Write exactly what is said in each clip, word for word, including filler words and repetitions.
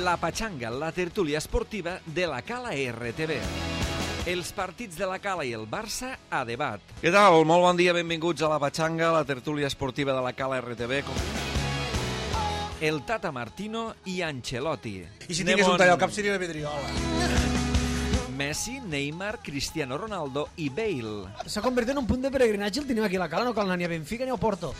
La Patxanga, la tertúlia esportiva de la Cala R T V. Els partits de la Cala i el Barça a debat. Què tal? Molt bon dia, benvinguts a La Patxanga, la tertúlia esportiva de la Cala R T V. El Tata Martino i Ancelotti. I si tingués un tall al cap seria la Vidriola. Messi, Neymar, Cristiano Ronaldo i Bale. S'ha convertit en un punt de peregrinatge el tenim aquí a la Cala, no cal anar ni a Benfica ni a Porto.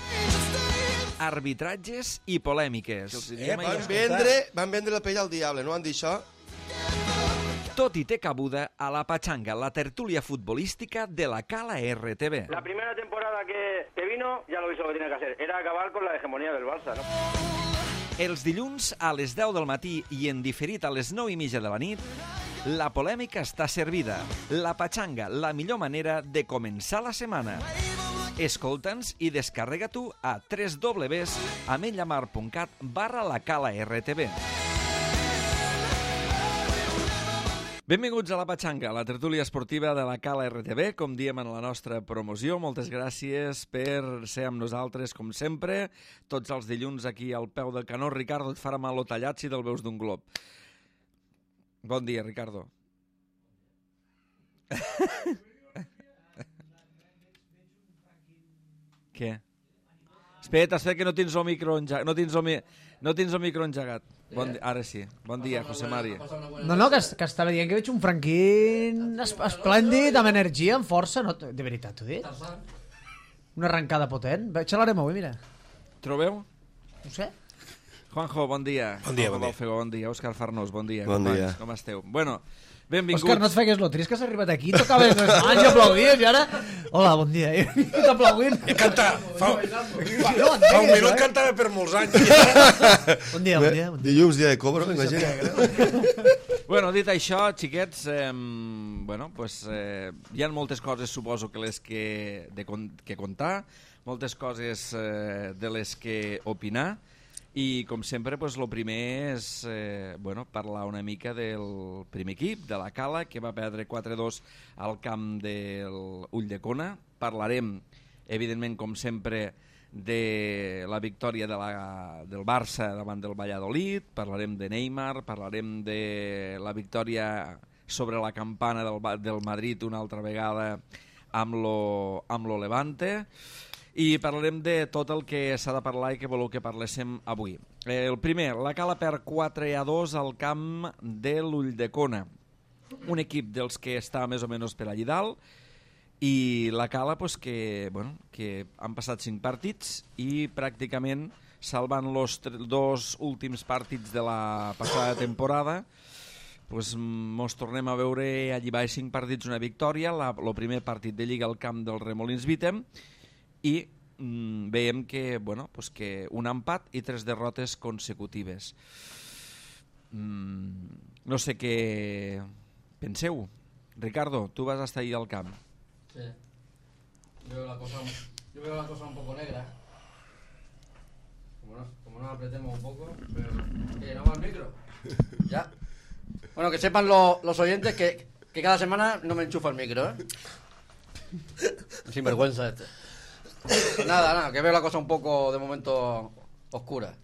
Arbitratges i polèmiques. Eh, van, vendre, van vendre la pell al diable, no han dit això? Tot i té cabuda a La Patxanga, la tertúlia futbolística de la Cala R T V. La primera temporada que, que vino, ya lo hizo lo que tenía que hacer, era acabar con la hegemonía del Barça, ¿no? Els dilluns a les deu del matí i en diferit a les nou i mitja de la nit, la polèmica està servida. La Patxanga, la millor manera de començar la setmana. Escolta'ns i descarrega tu a w w w punt ametlllamar punt cat barra la Cala R T V. Benvinguts a La Patxanga, la tertúlia esportiva de la Cala R T V, com diem en la nostra promoció. Moltes gràcies per ser amb nosaltres, com sempre, tots els dilluns aquí al peu del canó. Ricardo, et farà mal lo tallat si te'l veus d'un glob. Bon dia, Ricardo. Què? Espera't, espera que no tens el micro engegat. No tens el, mi... no tens el micro engegat. Bon di... Ara sí. Bon dia, José Mari. No, no, que, que estava dient que veig un Franquín es- esplèndid, amb energia, amb força. No, de veritat, t'ho dic? Una arrencada potent. Xalarem avui, mira. Trobeu? No sé. Juanjo, bon dia. Bon dia, Juanjo bon dia. Balfego, bon dia. Òscar Farnós, bon dia. Bon companys, dia. Com esteu? Bueno, benvinguts. Òscar, no et fegues lo trist que has arribat aquí, tocaves les mans i aplaudies i ara... Hola, bon dia. I t'aplaudint. I canta, fa, fa, fa un minut cantava per molts anys. Bon dia, bon dia. Bon dia. Dilluns, dia de cobro, imagina. Bueno, dit això, xiquets, eh, bueno, pues, eh, hi ha moltes coses, suposo, que les que, de, con- que contar, moltes coses eh, de les que opinar, i com sempre, pues, lo primer és eh, bueno, parlar una mica del primer equip, de la Cala, que va perdre quatre dos al camp del Ulldecona. Parlarem, evidentment, com sempre, de la victòria de la, del Barça davant del Valladolid, parlarem de Neymar, parlarem de la victòria sobre la campana del, Ba- del Madrid una altra vegada amb lo, amb lo Levante, i parlarem de tot el que s'ha de parlar i que voleu que parléssim avui. Eh, el primer, la Cala perd quatre a dos al camp de l'Ulldecona, un equip dels que està més o menys per allí dalt, i la Cala pues, que, bueno, que han passat cinc partits i pràcticament salvant els dos últims partits de la passada temporada, pues, mos tornem a veure allí baix cinc partits, una victòria, el primer partit de Lliga al camp del Remolins Vitem, i mm, veiem que, bueno, pues que un empat i tres derrotes consecutives. Mm, no sé què penseu. Ricardo, tu vas estar ahí al camp. Sí. Yo veo la cosa, yo veo la cosa un poco negra. Como no, como no apretemos un poco, pero... ¿Qué, no va el micro? Ya. Bueno, que sepan lo- los oyentes que, que cada semana no me enchufa el micro, ¿eh? Sinvergüenza este. Pues nada, nada, que veo la cosa un poco, de momento, oscura.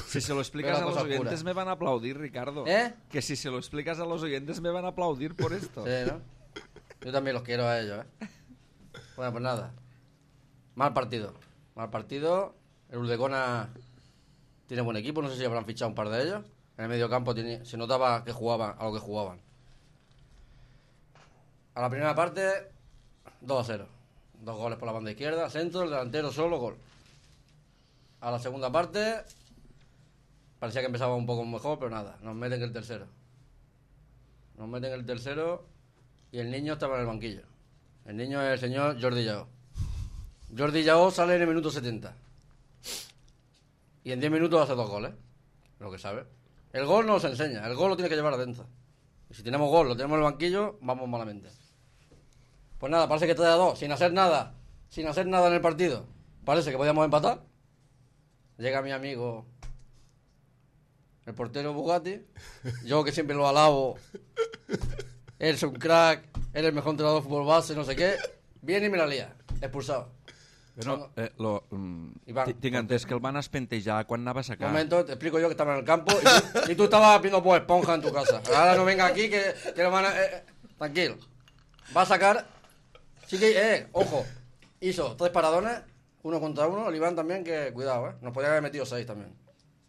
Si se lo explicas Veo a la los cosa oyentes oscura. me van a aplaudir, Ricardo. ¿Eh? Que si se lo explicas a los oyentes me van a aplaudir por esto. Sí, ¿no? Yo también los quiero a ellos, ¿eh? Bueno, pues nada. Mal partido. Mal partido. El Ulldecona tiene buen equipo. No sé si habrán fichado un par de ellos. En el medio campo tenía- se notaba que jugaban a lo que jugaban. A la primera parte, dos a cero. Dos goles por la banda izquierda, centro, el delantero solo, gol. A la segunda parte, parecía que empezaba un poco mejor, pero nada. Nos meten el tercero. Nos meten el tercero y el niño estaba en el banquillo. El niño es el señor Jordi Llaó. Jordi Llaó sale en el minuto setenta. Y en diez minutos hace dos goles. Lo que sabe. El gol no nos enseña. El gol lo tiene que llevar adentro. Y si tenemos gol, lo tenemos en el banquillo, vamos malamente. Pues nada, parece que tres a dos, sin hacer nada. Sin hacer nada en el partido. Parece que podíamos empatar. Llega mi amigo, el portero Bugatti. Yo que siempre lo alabo. Él es un crack. Él es el mejor entrenador de fútbol base, no sé qué. Viene y me la lía. Expulsado. Pero, eh, lo, mm, Iván, tinc entès que el van espentejar quan anava a Un sacar. momento, te explico yo que estaba en el campo y tú, y tú estabas viendo Bob Esponja en tu casa. Ahora no venga aquí que, que lo van a... Eh, eh, tranquilo. Va a sacar... Sí que, eh, ojo. Hizo tres paradones, uno contra uno. El Iván también, que cuidado, eh. Nos podía haber metido seis también.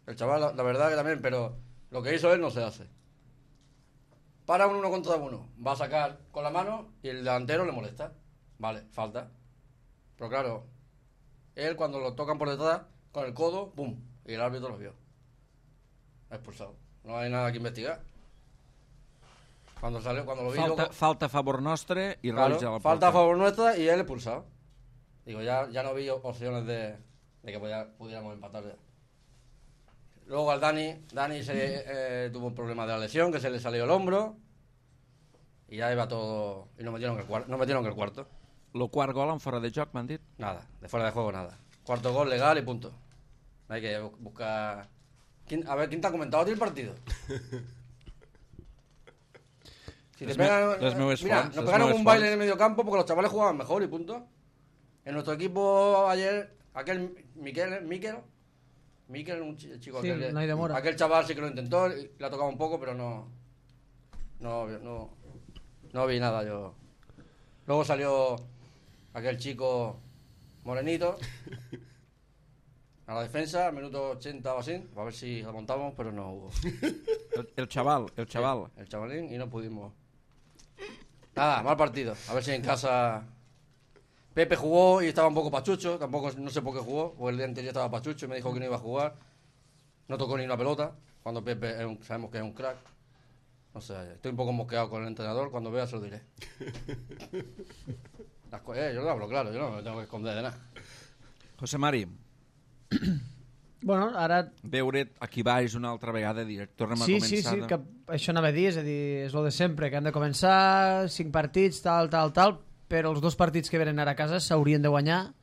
El chaval, la, la verdad que también, pero lo que hizo él no se hace. Para un uno contra uno. Va a sacar con la mano y el delantero le molesta. Vale, falta. Pero claro, él cuando lo tocan por detrás, con el codo, ¡pum! Y el árbitro lo vio. Expulsado. No hay nada que investigar. Cuando salió, cuando lo vi... Falta, luego- falta a favor nostre i claro, roig a la falta a porta. favor nuestra y él expulsado. Digo, ya, ya no vi opciones de, de que podía- pudiéramos empatar ya. Luego al Dani, Dani se, eh, tuvo un problema de la lesión, que se le salió el hombro. Y ya iba todo... Y nos metieron en el, cuar- nos metieron en el cuarto. Lo quart gol en fora de joc, m'han dit. Nada, de fuera de juego nada. Cuarto gol legal y punto. No hay que bu- buscar... ¿Quién- a ver, ¿quién te ha comentado a ti el partido? Si te Les pegan, me- les meves mira, fonts, nos les pegaron meves un baile fonts. en el medio campo porque los chavales jugaban mejor y punto. En nuestro equipo ayer, aquel Miquel, Miquel, Miquel, un chi- chico Sí, aquel, no hay demora. aquel chaval sí que lo intentó, y le ha tocado un poco, pero no, no, no, no vi nada yo. Luego salió aquel chico morenito a la defensa, al minuto ochenta o así, a ver si lo montamos, pero no hubo. El, el chaval, el chaval. El chavalín, y no pudimos. Nada, mal partido. A ver si en casa... Pepe jugó y estaba un poco pachucho, tampoco no sé por qué jugó, porque el día anterior estaba pachucho y me dijo que no iba a jugar. No tocó ni una pelota, cuando Pepe es un- sabemos que es un crack. No sé, estoy un poco mosqueado con el entrenador, cuando vea se lo diré. Las co- eh, yo lo hablo claro, yo no me tengo que esconder de nada. José Mari, Bueno, ara... veure't aquí baix una altra vegada, direct. Tornem a Sí, començar. sí, sí, de- que això anava a dir, és a dir, és el de sempre, que han de començar cinc partits, tal, tal, tal, però els dos partits que venen ara a casa s'haurien de guanyar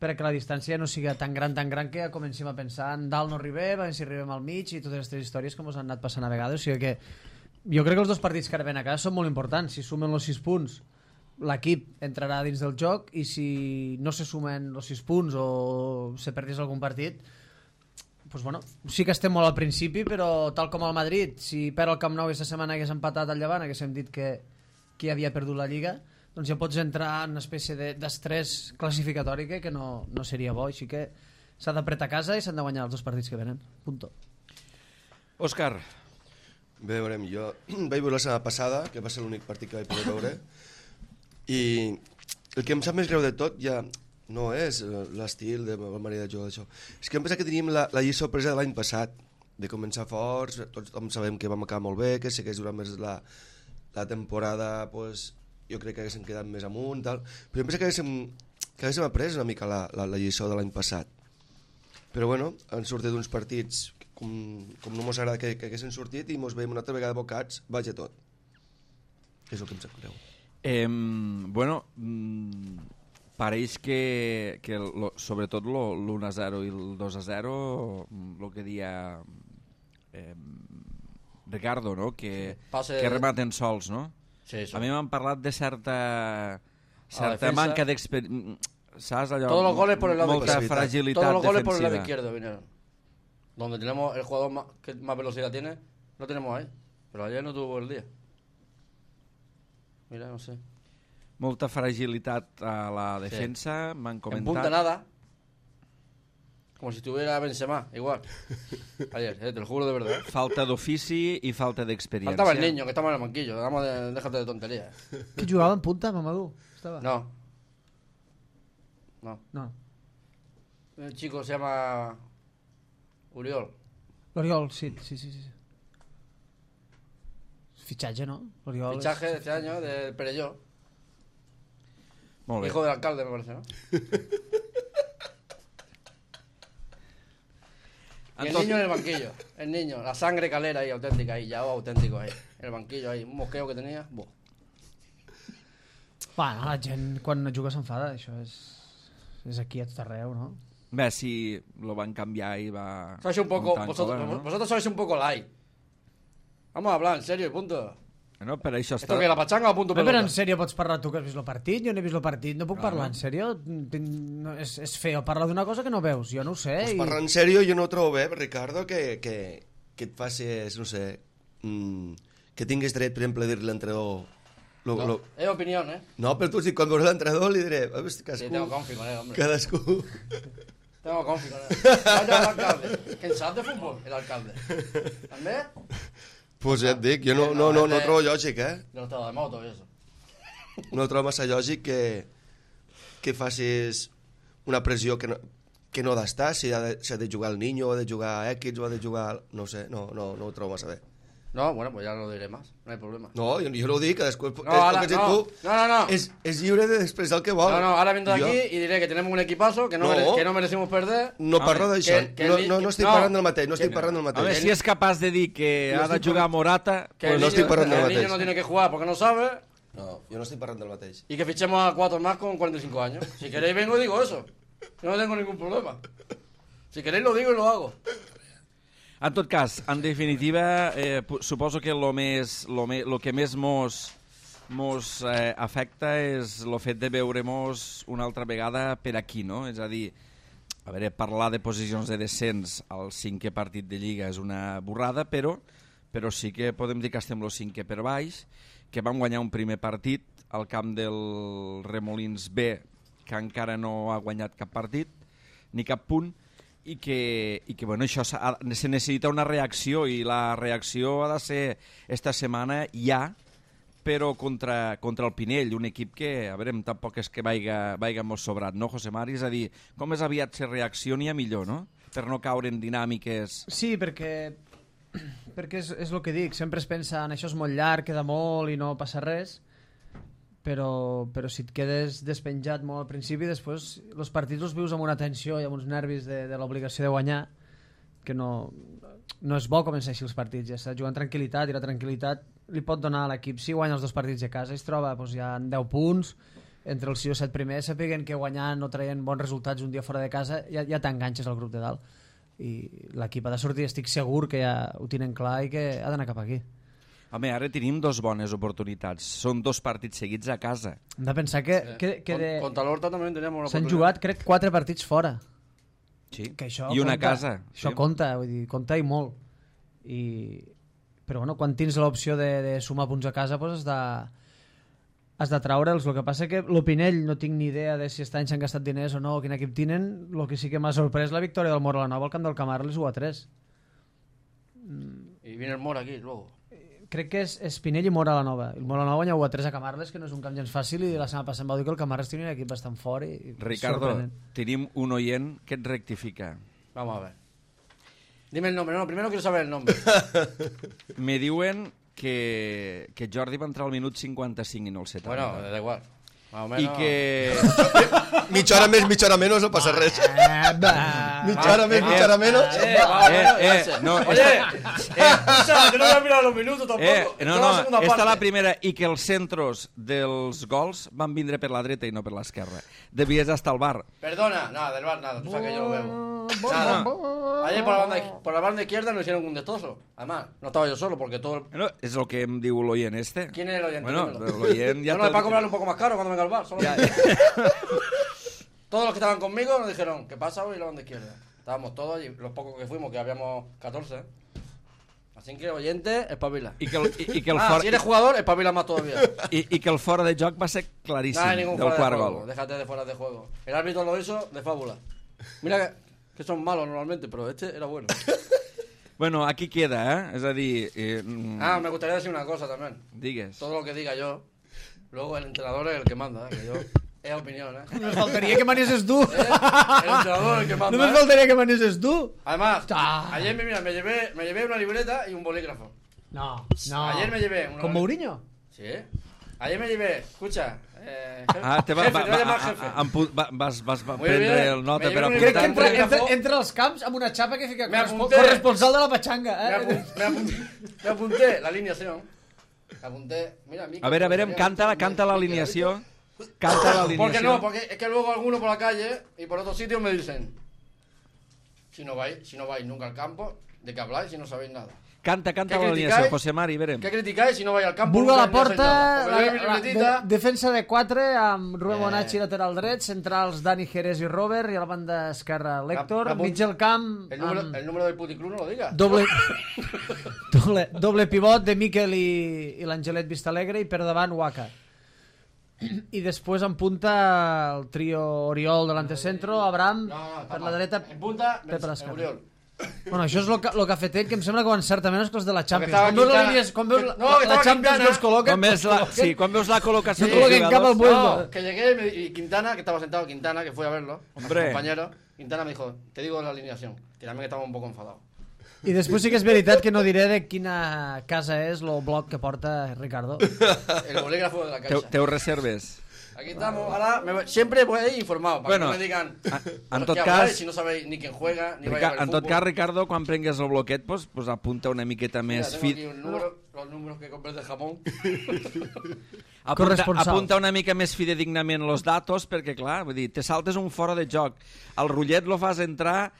perquè la distància no sigui tan gran, tan gran que comencem a pensar en dalt no arribem, a veure si arribem al mig i totes aquestes històries com us han anat passant a vegades, o sigui que jo crec que els dos partits que ara venen a casa són molt importants, si sumen els sis punts l'equip entrarà dins del joc i si no se sumen els sis punts o se perdés algun partit pues bueno, sí que estem molt al principi, però tal com el Madrid, si perd el Camp Nou aquesta setmana hagués empatat al Llevant, haguéssim dit que, que havia perdut la Lliga, doncs ja pots entrar en una espècie de- d'estrès classificatori que, que no, no seria bo, així que s'ha d'apretar a casa i s'han de guanyar els dos partits que venen. Punto. Òscar, Bé, veurem, jo vaig veure la setmana passada, que va ser l'únic partit que vaig poder veure, i el que em sap més greu de tot ja no és eh, l'estil de la manera de jugar d'això. És que em pensa que teníem la, la lliçó presa de l'any passat, de començar forts, tots sabem que vam acabar molt bé, que segueix durant més la, la temporada, pues, jo crec que haguéssim quedat més amunt, tal. Però em pensa que haguéssim, que haguéssim après una mica la, la, la lliçó de l'any passat. Però bueno, han sortit uns partits com, com no mos agrada que, que haguessin sortit i mos veiem una altra vegada bocats, vaja tot. És el que em sap greu. eh, bueno, mm, pareix que, que lo, sobretot l'u a zero i el dos a zero, el que dia eh, Ricardo, no? que, Pase- que rematen sols, no? Sí, eso. A mi m'han parlat de certa, certa defensa. manca d'experiència. ¿Sabes? Allò, Todos los goles por el lado molta izquierdo. fragilitat Todos los goles por el lado defensiva. izquierdo vinieron. Donde tenemos el jugador más, que más velocidad tiene, lo tenemos ahí. Pero ayer no tuvo el día. Mira, no sé. Molta fragilitat a la defensa, m'han En comentat. punta nada. Como si estuviera Benzema, igual. Ayer, eh, te lo juro de verdad. Falta d'ofici i falta d'experiència. Faltaba el niño, que estaba en el banquillo. Vamos de, déjate de tonterías. Qui jugava en punta, Mamadou? Estava? No. No. No. El chico se llama Uriol. L'Oriol, sí, sí, sí, sí. Fitxatge, no? L'Oriol és- Fichaje de este año de Perelló. Molt bé. Hijo del alcalde, me parece, ¿no? Y el Entonces- niño en el banquillo. El niño, la sangre calera ahí, auténtica ahí, ya auténtico ahí. En el banquillo ahí, un mosqueo que tenía. Buah. Bueno, la gent quan juga s'enfada, això és, és aquí a tot arreu, no? Bé, sí, lo van canviar i va... Sois un poco, un tanco, vosotros, ¿no? vosotros sois un poco light. Vamos a hablar en serio y punto. No, per això Esto està... que la pachanga o punto Però pelota. en sèrio pots parlar tu que has vist el partit? Jo no he vist el partit, no puc Claro. parlar en sèrio? Tinc... No, és, és feo parlar d'una cosa que no veus, jo no ho sé. Pues I... parlant en sèrio, jo no ho trobo bé, Ricardo, que, que, que et facis, no sé, mm, que tinguis dret, per exemple, a dir-li a l'entrenador... Lo, No, lo... es opinión, ¿eh? no, però tu, si quan veuràs l'entrenador li diré, "Ah, hosti, Sí, cadascú, tengo confi con él, hombre. cadascú... Tengo confi con él. Vaya al alcalde. ¿Quién sabe de fútbol? El alcalde. ¿También? Pues ja et dic, jo no, no, no, no ho trobo lògic, eh? De los estados de moto y eso. No trobo massa lògic que, que facis una pressió que no, que no ha d'estar, si ha de, si ha de jugar el niño, o ha de jugar X, o ha de jugar... No ho sé, no, no, no ho trobo massa bé. No, bueno, pues ya no lo diré más. No hay problema. No, jo, jo no ho dic, cadascú... No, ara, és, no, tu, no, no, no. És, és lliure d'expressar el que vol. No, no, ahora vendré Jo aquí y diré que tenemos un equipazo, que no, No. mere- que no merecimos perder. No parlo Home, d'això, que- que no, el no, ni- no estic no, parlant del mateix, no estic que- parlant del A mateix. veure, si és capaç de dir que No ha de estic jugar parlant- Morata... Que Pues el no niño, estic parlant del el niño mateix. no tiene que jugar porque no sabe No, jo no estic parlant del mateix. y que fichemos a cuatro más con cuarenta y cinco años. Si queréis vengo y digo eso. Yo no tengo ningún problema. Si queréis lo digo y lo hago. En tot cas, en definitiva, eh, pu- suposo que lo, més, lo, me, lo que més mos, mos eh, afecta és el fet de veure-mos una altra vegada per aquí, no? És a dir, a veure, parlar de posicions de descens al cinquè partit de Lliga és una borrada, però, però sí que podem dir que estem el cinquè per baix, que vam guanyar un primer partit al camp del Remolins B, que encara no ha guanyat cap partit, ni cap punt, i que, i que bueno, això s'ha- se necessita una reacció, i la reacció ha de ser esta setmana ja, però contra, contra el Pinell, un equip que, a veure, tampoc és que vaiga, vaiga molt sobrat, no, José Mari? És a dir, com més aviat se reaccioni a millor, no? Per no caure en dinàmiques... Sí, perquè, perquè és, és el que dic, sempre es pensa en això és molt llarg, queda molt i no passa res, però, però si et quedes despenjat molt al principi, després els partits els vius amb una tensió i amb uns nervis de, de l'obligació de guanyar, que no, no és bo començar així els partits, ja està jugant tranquil·litat, i la tranquil·litat li pot donar a l'equip, si guanya els dos partits de casa i es troba doncs, ja en deu punts, entre els sis o set primers, sapiguen que guanyant o traient bons resultats un dia fora de casa, ja, ja t'enganxes al grup de dalt, i l'equip ha de sortir, estic segur que ja ho tenen clar i que ha d'anar cap aquí. Home, ara tenim dos bones oportunitats. Són dos partits seguits a casa. Hem de pensar que, que, que de... Contra l'Horta también teníamos una s'han oportunidad. jugat, crec, quatre partits fora. Sí. Que això I una compta, casa. Això sí. compta, vull dir, compta i molt. I... Però bueno, quan tens l'opció de, de sumar punts a casa, doncs has de, has de traure'ls. El que passa que l'Opinell no tinc ni idea de si aquest any s'han gastat diners o no, o quin equip tenen. El que sí que m'ha sorprès la victòria del Mora la Nova al camp del Camarles u a tres. Y viene el Mora aquí luego. Crec que és Espinell i Mora la Nova. El Mora la Nova guanya u a tres a Camarles, que no és un camp gens fàcil, i la setmana passada em va dir que el Camarles tenia un equip bastant fort. I, i Ricardo, sorprenent. tenim un oient que et rectifica. Vamos a ver. Dime el nombre. No, primero quiero saber el nombre. Me diuen que, que Jordi va entrar al minut cinquanta-cinc i no al setanta. Bueno, da igual. Más o I menos. que... Mitja hora més, mitja hora menys, no passa res. Ah, va. Mitja hora més, mitja hora menys. Eh, vamos, Eh, vamos, eh, gracias. no, Oye, eh, escucha, que no voy a mirar los minutos tampoco. Eh, no, Toda no, la segunda esta parte. la primera, i que els centros dels gols van vindre per la dreta i no per l'esquerra. Devies estar al bar. Perdona, nada, del bar nada, tú sabes que yo lo veo. Nada. Ayer por la, banda, por la banda izquierda nos hicieron un destrozo. Además, no estaba yo solo porque todo el... Bueno, és el que em diu l'oient este. ¿Quién es el oyente? Bueno, Dímelo. l'oient ja... no, no, es t'ha- para cobrarle un poco más caro cuando venga al bar. Solo Ja, Todos los que estaban conmigo nos dijeron, ¿qué pasa hoy la banda izquierda? Estábamos todos y los pocos que fuimos, que habíamos catorce. Así que, oyente, espabila. I que el, i, i que el Ah, fora, si eres jugador, espabila más todavía. i, i que el fora de joc va ser claríssim, No hay ningún del fuera de quart juego. gol. Déjate de fuera de juego. El árbitro lo hizo de fábula. Mira que, que son malos normalmente, pero este era bueno. Bueno, aquí queda, eh? És a dir... Eh, mm, Ah, me gustaría decir una cosa también. digues. Todo lo que diga yo, luego el entrenador es el que manda, ¿eh? Que yo... Es opinión, ¿eh? Només faltaria que manesses tu. ¿Eh? El entrenador es el que manda, Només ¿eh? faltaria que manesses tu. Además, Ah. ayer me, mira, me, llevé, me llevé una libreta y un bolígrafo. No, no. Ayer me llevé una... ¿Con Mourinho? Sí. Ayer me llevé, escucha... Eh, Ah, te va, jefe, va, te voy a llamar va, jefe. a- empu- va, vas, vas va Muy prendre bien. el nota Me per llevo un Crec que apuntar. entra, Bolígrafo. entra, entra als camps amb una xapa que fica Me correspon, apunté. corresponsal de la pachanga. Me, Eh? apun- me apunté, me apunté la alineación. Me apunté... Mira, Mico, A veure, a veure, canta, canta l'alineació. Canta l'alineació. ¿Por qué no? Porque es que luego algunos por la calle y por otros sitios me dicen, si no vais, si no vais nunca al campo, ¿de qué habláis si no sabéis nada? Canta, canta ¿Qué l'alineació, criticáis? José Mari, verem. ¿Qué criticáis si no vais al campo? Vulga nunca la ni has porta, entrado? la, Porque veis mi la, libretita. de, defensa de quatre amb Rubén Eh. Bonacci lateral dret, centrals Dani Jerez i Robert i a la banda esquerra l'Héctor, La- la- mig del camp El número, amb el número del puticlub no lo digas. doble, doble, doble pivot de Miquel i, i l'Angelet Vistalegre i per davant Waka. I després en punta el trio Oriol de l'antecentro, Abraham No, no, per está la mal. dreta, En punta, Pep a l'esquerra. Oriol. Bueno, això és el que, lo que ha fet ell, que em sembla que ho encerta menys que els de la Champions. estava Quan veus, la Quintana- línia, quan veus la, No, que la estava Champions Quintana. que els col·loquen... Quan veus la, els sí, quan veus la col·locació Sí, dels col·loquen cap al jugadors... vuelto. No, que llegué y, me- y Quintana, que estaba sentado Quintana, que fui a verlo, con Hombre. mi compañero, Quintana me dijo, te digo la alineación, que también estaba un poco enfadado. I després sí que és veritat que no diré de quina casa és el bloc que porta Ricardo. El bolígrafo de la Teu, caixa. teu reserves. Aquí estamos, ahora me voy- siempre voy ahí informado, para Bueno, que no me digan, a- "¿Pero en tot qué cas- habláis si no sabéis ni quién juega, ni vais a Rica, ver en tot fútbol?". cas, Ricardo, quan prengues el bloquet, pues, pues apunta una miqueta Mira, més tengo fi... aquí un número, los números que compré de Japón. Apunta, Corresponsal. apunta una mica més fidedignament los datos, perquè, clar, vull dir, te saltes un fora de joc. El rotllet lo fas entrar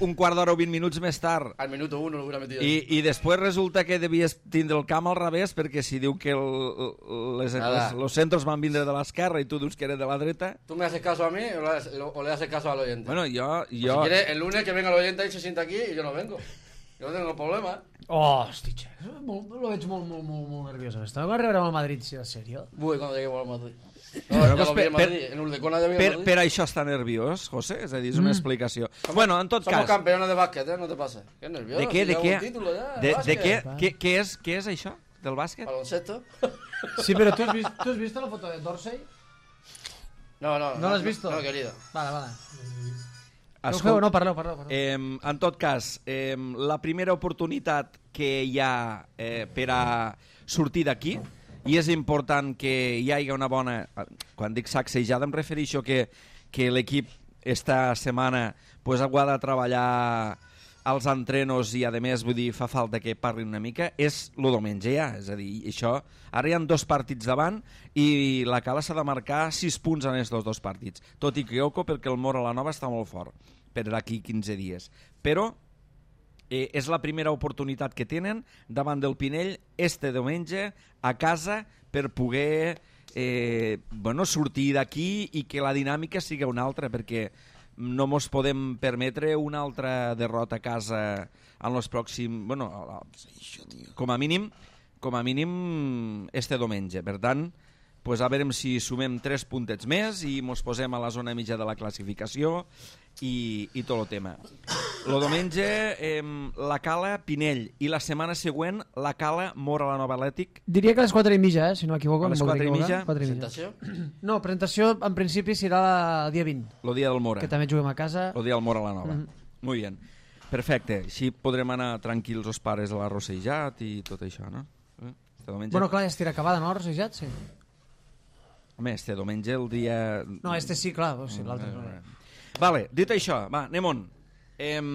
un quart d'hora o vint minuts més tard. Al minuto uno lo hubiera metido. I, I després resulta que devies tindre el camp al revés, perquè si diu que el, les, Nada. les, los centros van vindre de l'esquerra i tu dius que era de la dreta... ¿Tú me haces caso a mí o le, haces- o le haces caso al oyente? Bueno, jo... Pues jo si quieres, el lunes que venga el oyente y se sienta aquí y yo no vengo. Yo no tengo problema. Oh, hosti, xe, molt, lo veig molt, molt, molt, molt nerviós. Està quan arribarem al Madrid, si és sèrio. Uy, cuando lleguemos al Madrid. Bueno, No, ya pues lo vi per- en Madrid. En Urdecona ya vi en Per, Madrid. per això està nerviós, José? És a dir, és una explicació. Bueno, en tot Somos cas... campeones de básquet, ¿eh? No te pases. Qué nervioso. De què, de ya què? un título ya, De, de básquet. què, què, què, és, què és això, del bàsquet? Baloncesto. Sí, però tu has vist, tu has vist la foto de Dorsey? No, no. ¿No lo has visto? No, querido. Vale, vale. No, Escolta, feu, no, parleu, parleu. parleu. Eh, en tot cas, eh, la primera oportunitat que hi ha eh, per a sortir d'aquí, i és important que hi hagi una bona... Quan dic sacsejada em refereixo que, que l'equip esta setmana pues, ha de treballar als entrenos i, a més, vull dir, fa falta que parlin una mica, és el diumenge ja. És a dir, això... Ara hi ha dos partits davant i la Cala s'ha de marcar sis punts en aquests dos partits. Tot i que oco perquè el Mora la Nova està molt fort per d'aquí quinze dies. Però eh, és la primera oportunitat que tenen davant del Pinell este diumenge a casa per poder eh, bueno, sortir d'aquí i que la dinàmica sigui una altra, perquè no mos podem permetre una altra derrota a casa en els pròxims... Bueno, com a mínim, com a mínim este diumenge. Per tant, pues a veure si sumem tres puntets més i mos posem a la zona mitja de la classificació i, i tot el tema. El diumenge eh, la Cala Pinell i la setmana següent la Cala Mora la Nova Atlètic. Diria que a les quatre i mitja, eh, si no m'equivoco. A les em voldria quatre i equivocar. mitja? Quatre i mitja. Presentació. No, presentació en principi serà el dia vint, El dia del Mora. que també juguem a casa. El dia del Mora la Nova. Mhm. Muy bien. Perfecte. Així podrem anar tranquils els pares a l'arrossejat i tot això, no? Eh? Este diumenge... Bueno, clar, ja estirà acabada, no, Rosejat? Sí. Home, este diumenge el dia... No, este sí, clar, o sigui, l'altre no. Vale, dit això, va, anem-on. Em,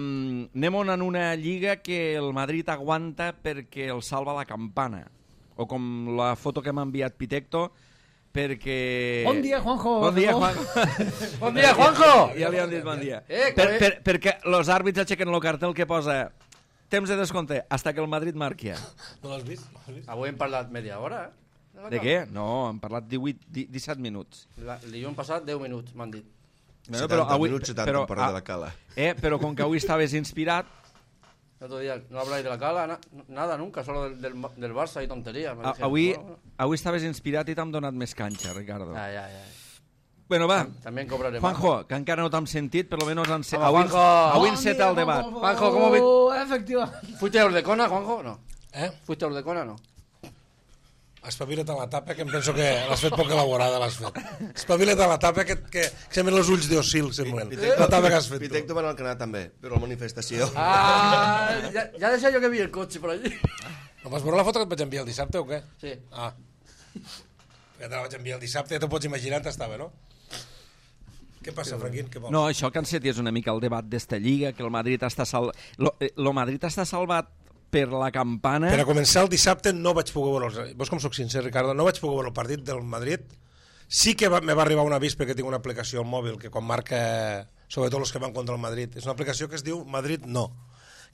anem-on en una lliga que el Madrid aguanta perquè el salva la campana. O com la foto que m'ha enviat Pitecto, perquè... Bon dia, Juanjo. Bon dia, No? Juanjo. Bon dia, Juanjo! Ja li han dit bon dia. Eh, per, que- per, perquè els àrbits aixequen el cartel que posa temps de descompte hasta que el Madrid marqui. No l'has vist? No l'has vist? Avui hem parlat media hora, eh? la De cama. què? No, hem parlat divuit, disset minuts. La, el dilluns passat, deu minuts, m'han dit. Bueno, setanta minuts, setanta però, per de ah, la Cala. Eh, però com que avui estaves inspirat, El otro día no habláis de la Cala, na- nada, nunca, solo del, del, del Barça y tonterías. me a, decían. avui, Bueno, bueno. avui estaves inspirat i t'hem donat més canxa, Ricardo. Ya, ya, ya. Bueno, va, También cobraré Juanjo, que encara no t'hem sentit, per lo menos en se... Home, avui, Juanjo! avui Bon enceta dia, el debat. Juanjo, ¿cómo vi- Oh, efectivament. más. ¿Fuiste a Urdecona, Juanjo? No. Eh? ¿Fuiste a Urdecona? No. Espavila't a la tapa, que em penso que l'has fet poc elaborada, l'has fet. Espavila't a la tapa, que, que, que semblen els ulls d'Ossil, semblen. La tapa que has fet tu. Pitecto va anar al Canadà també, però a la manifestació. Ah, ya, ya decía yo que vi el coche por allí. No vas veure la foto que et vaig enviar el dissabte o què? Sí. Ah. Que te la vaig enviar el dissabte, ja t'ho pots imaginar on estava, no? Què passa, Franquín? Què vols? No, això que encetis una mica el debat d'esta lliga, que el Madrid està sal... Lo, eh, lo Madrid està salvat per la campana... Per a començar el dissabte no vaig poder veure... Els... Vos com soc sincer, Ricardo, no vaig poder veure el partit del Madrid. Sí que va, me va arribar un avís perquè tinc una aplicació al mòbil que quan marca, sobretot els que van contra el Madrid, és una aplicació que es diu Madrid No,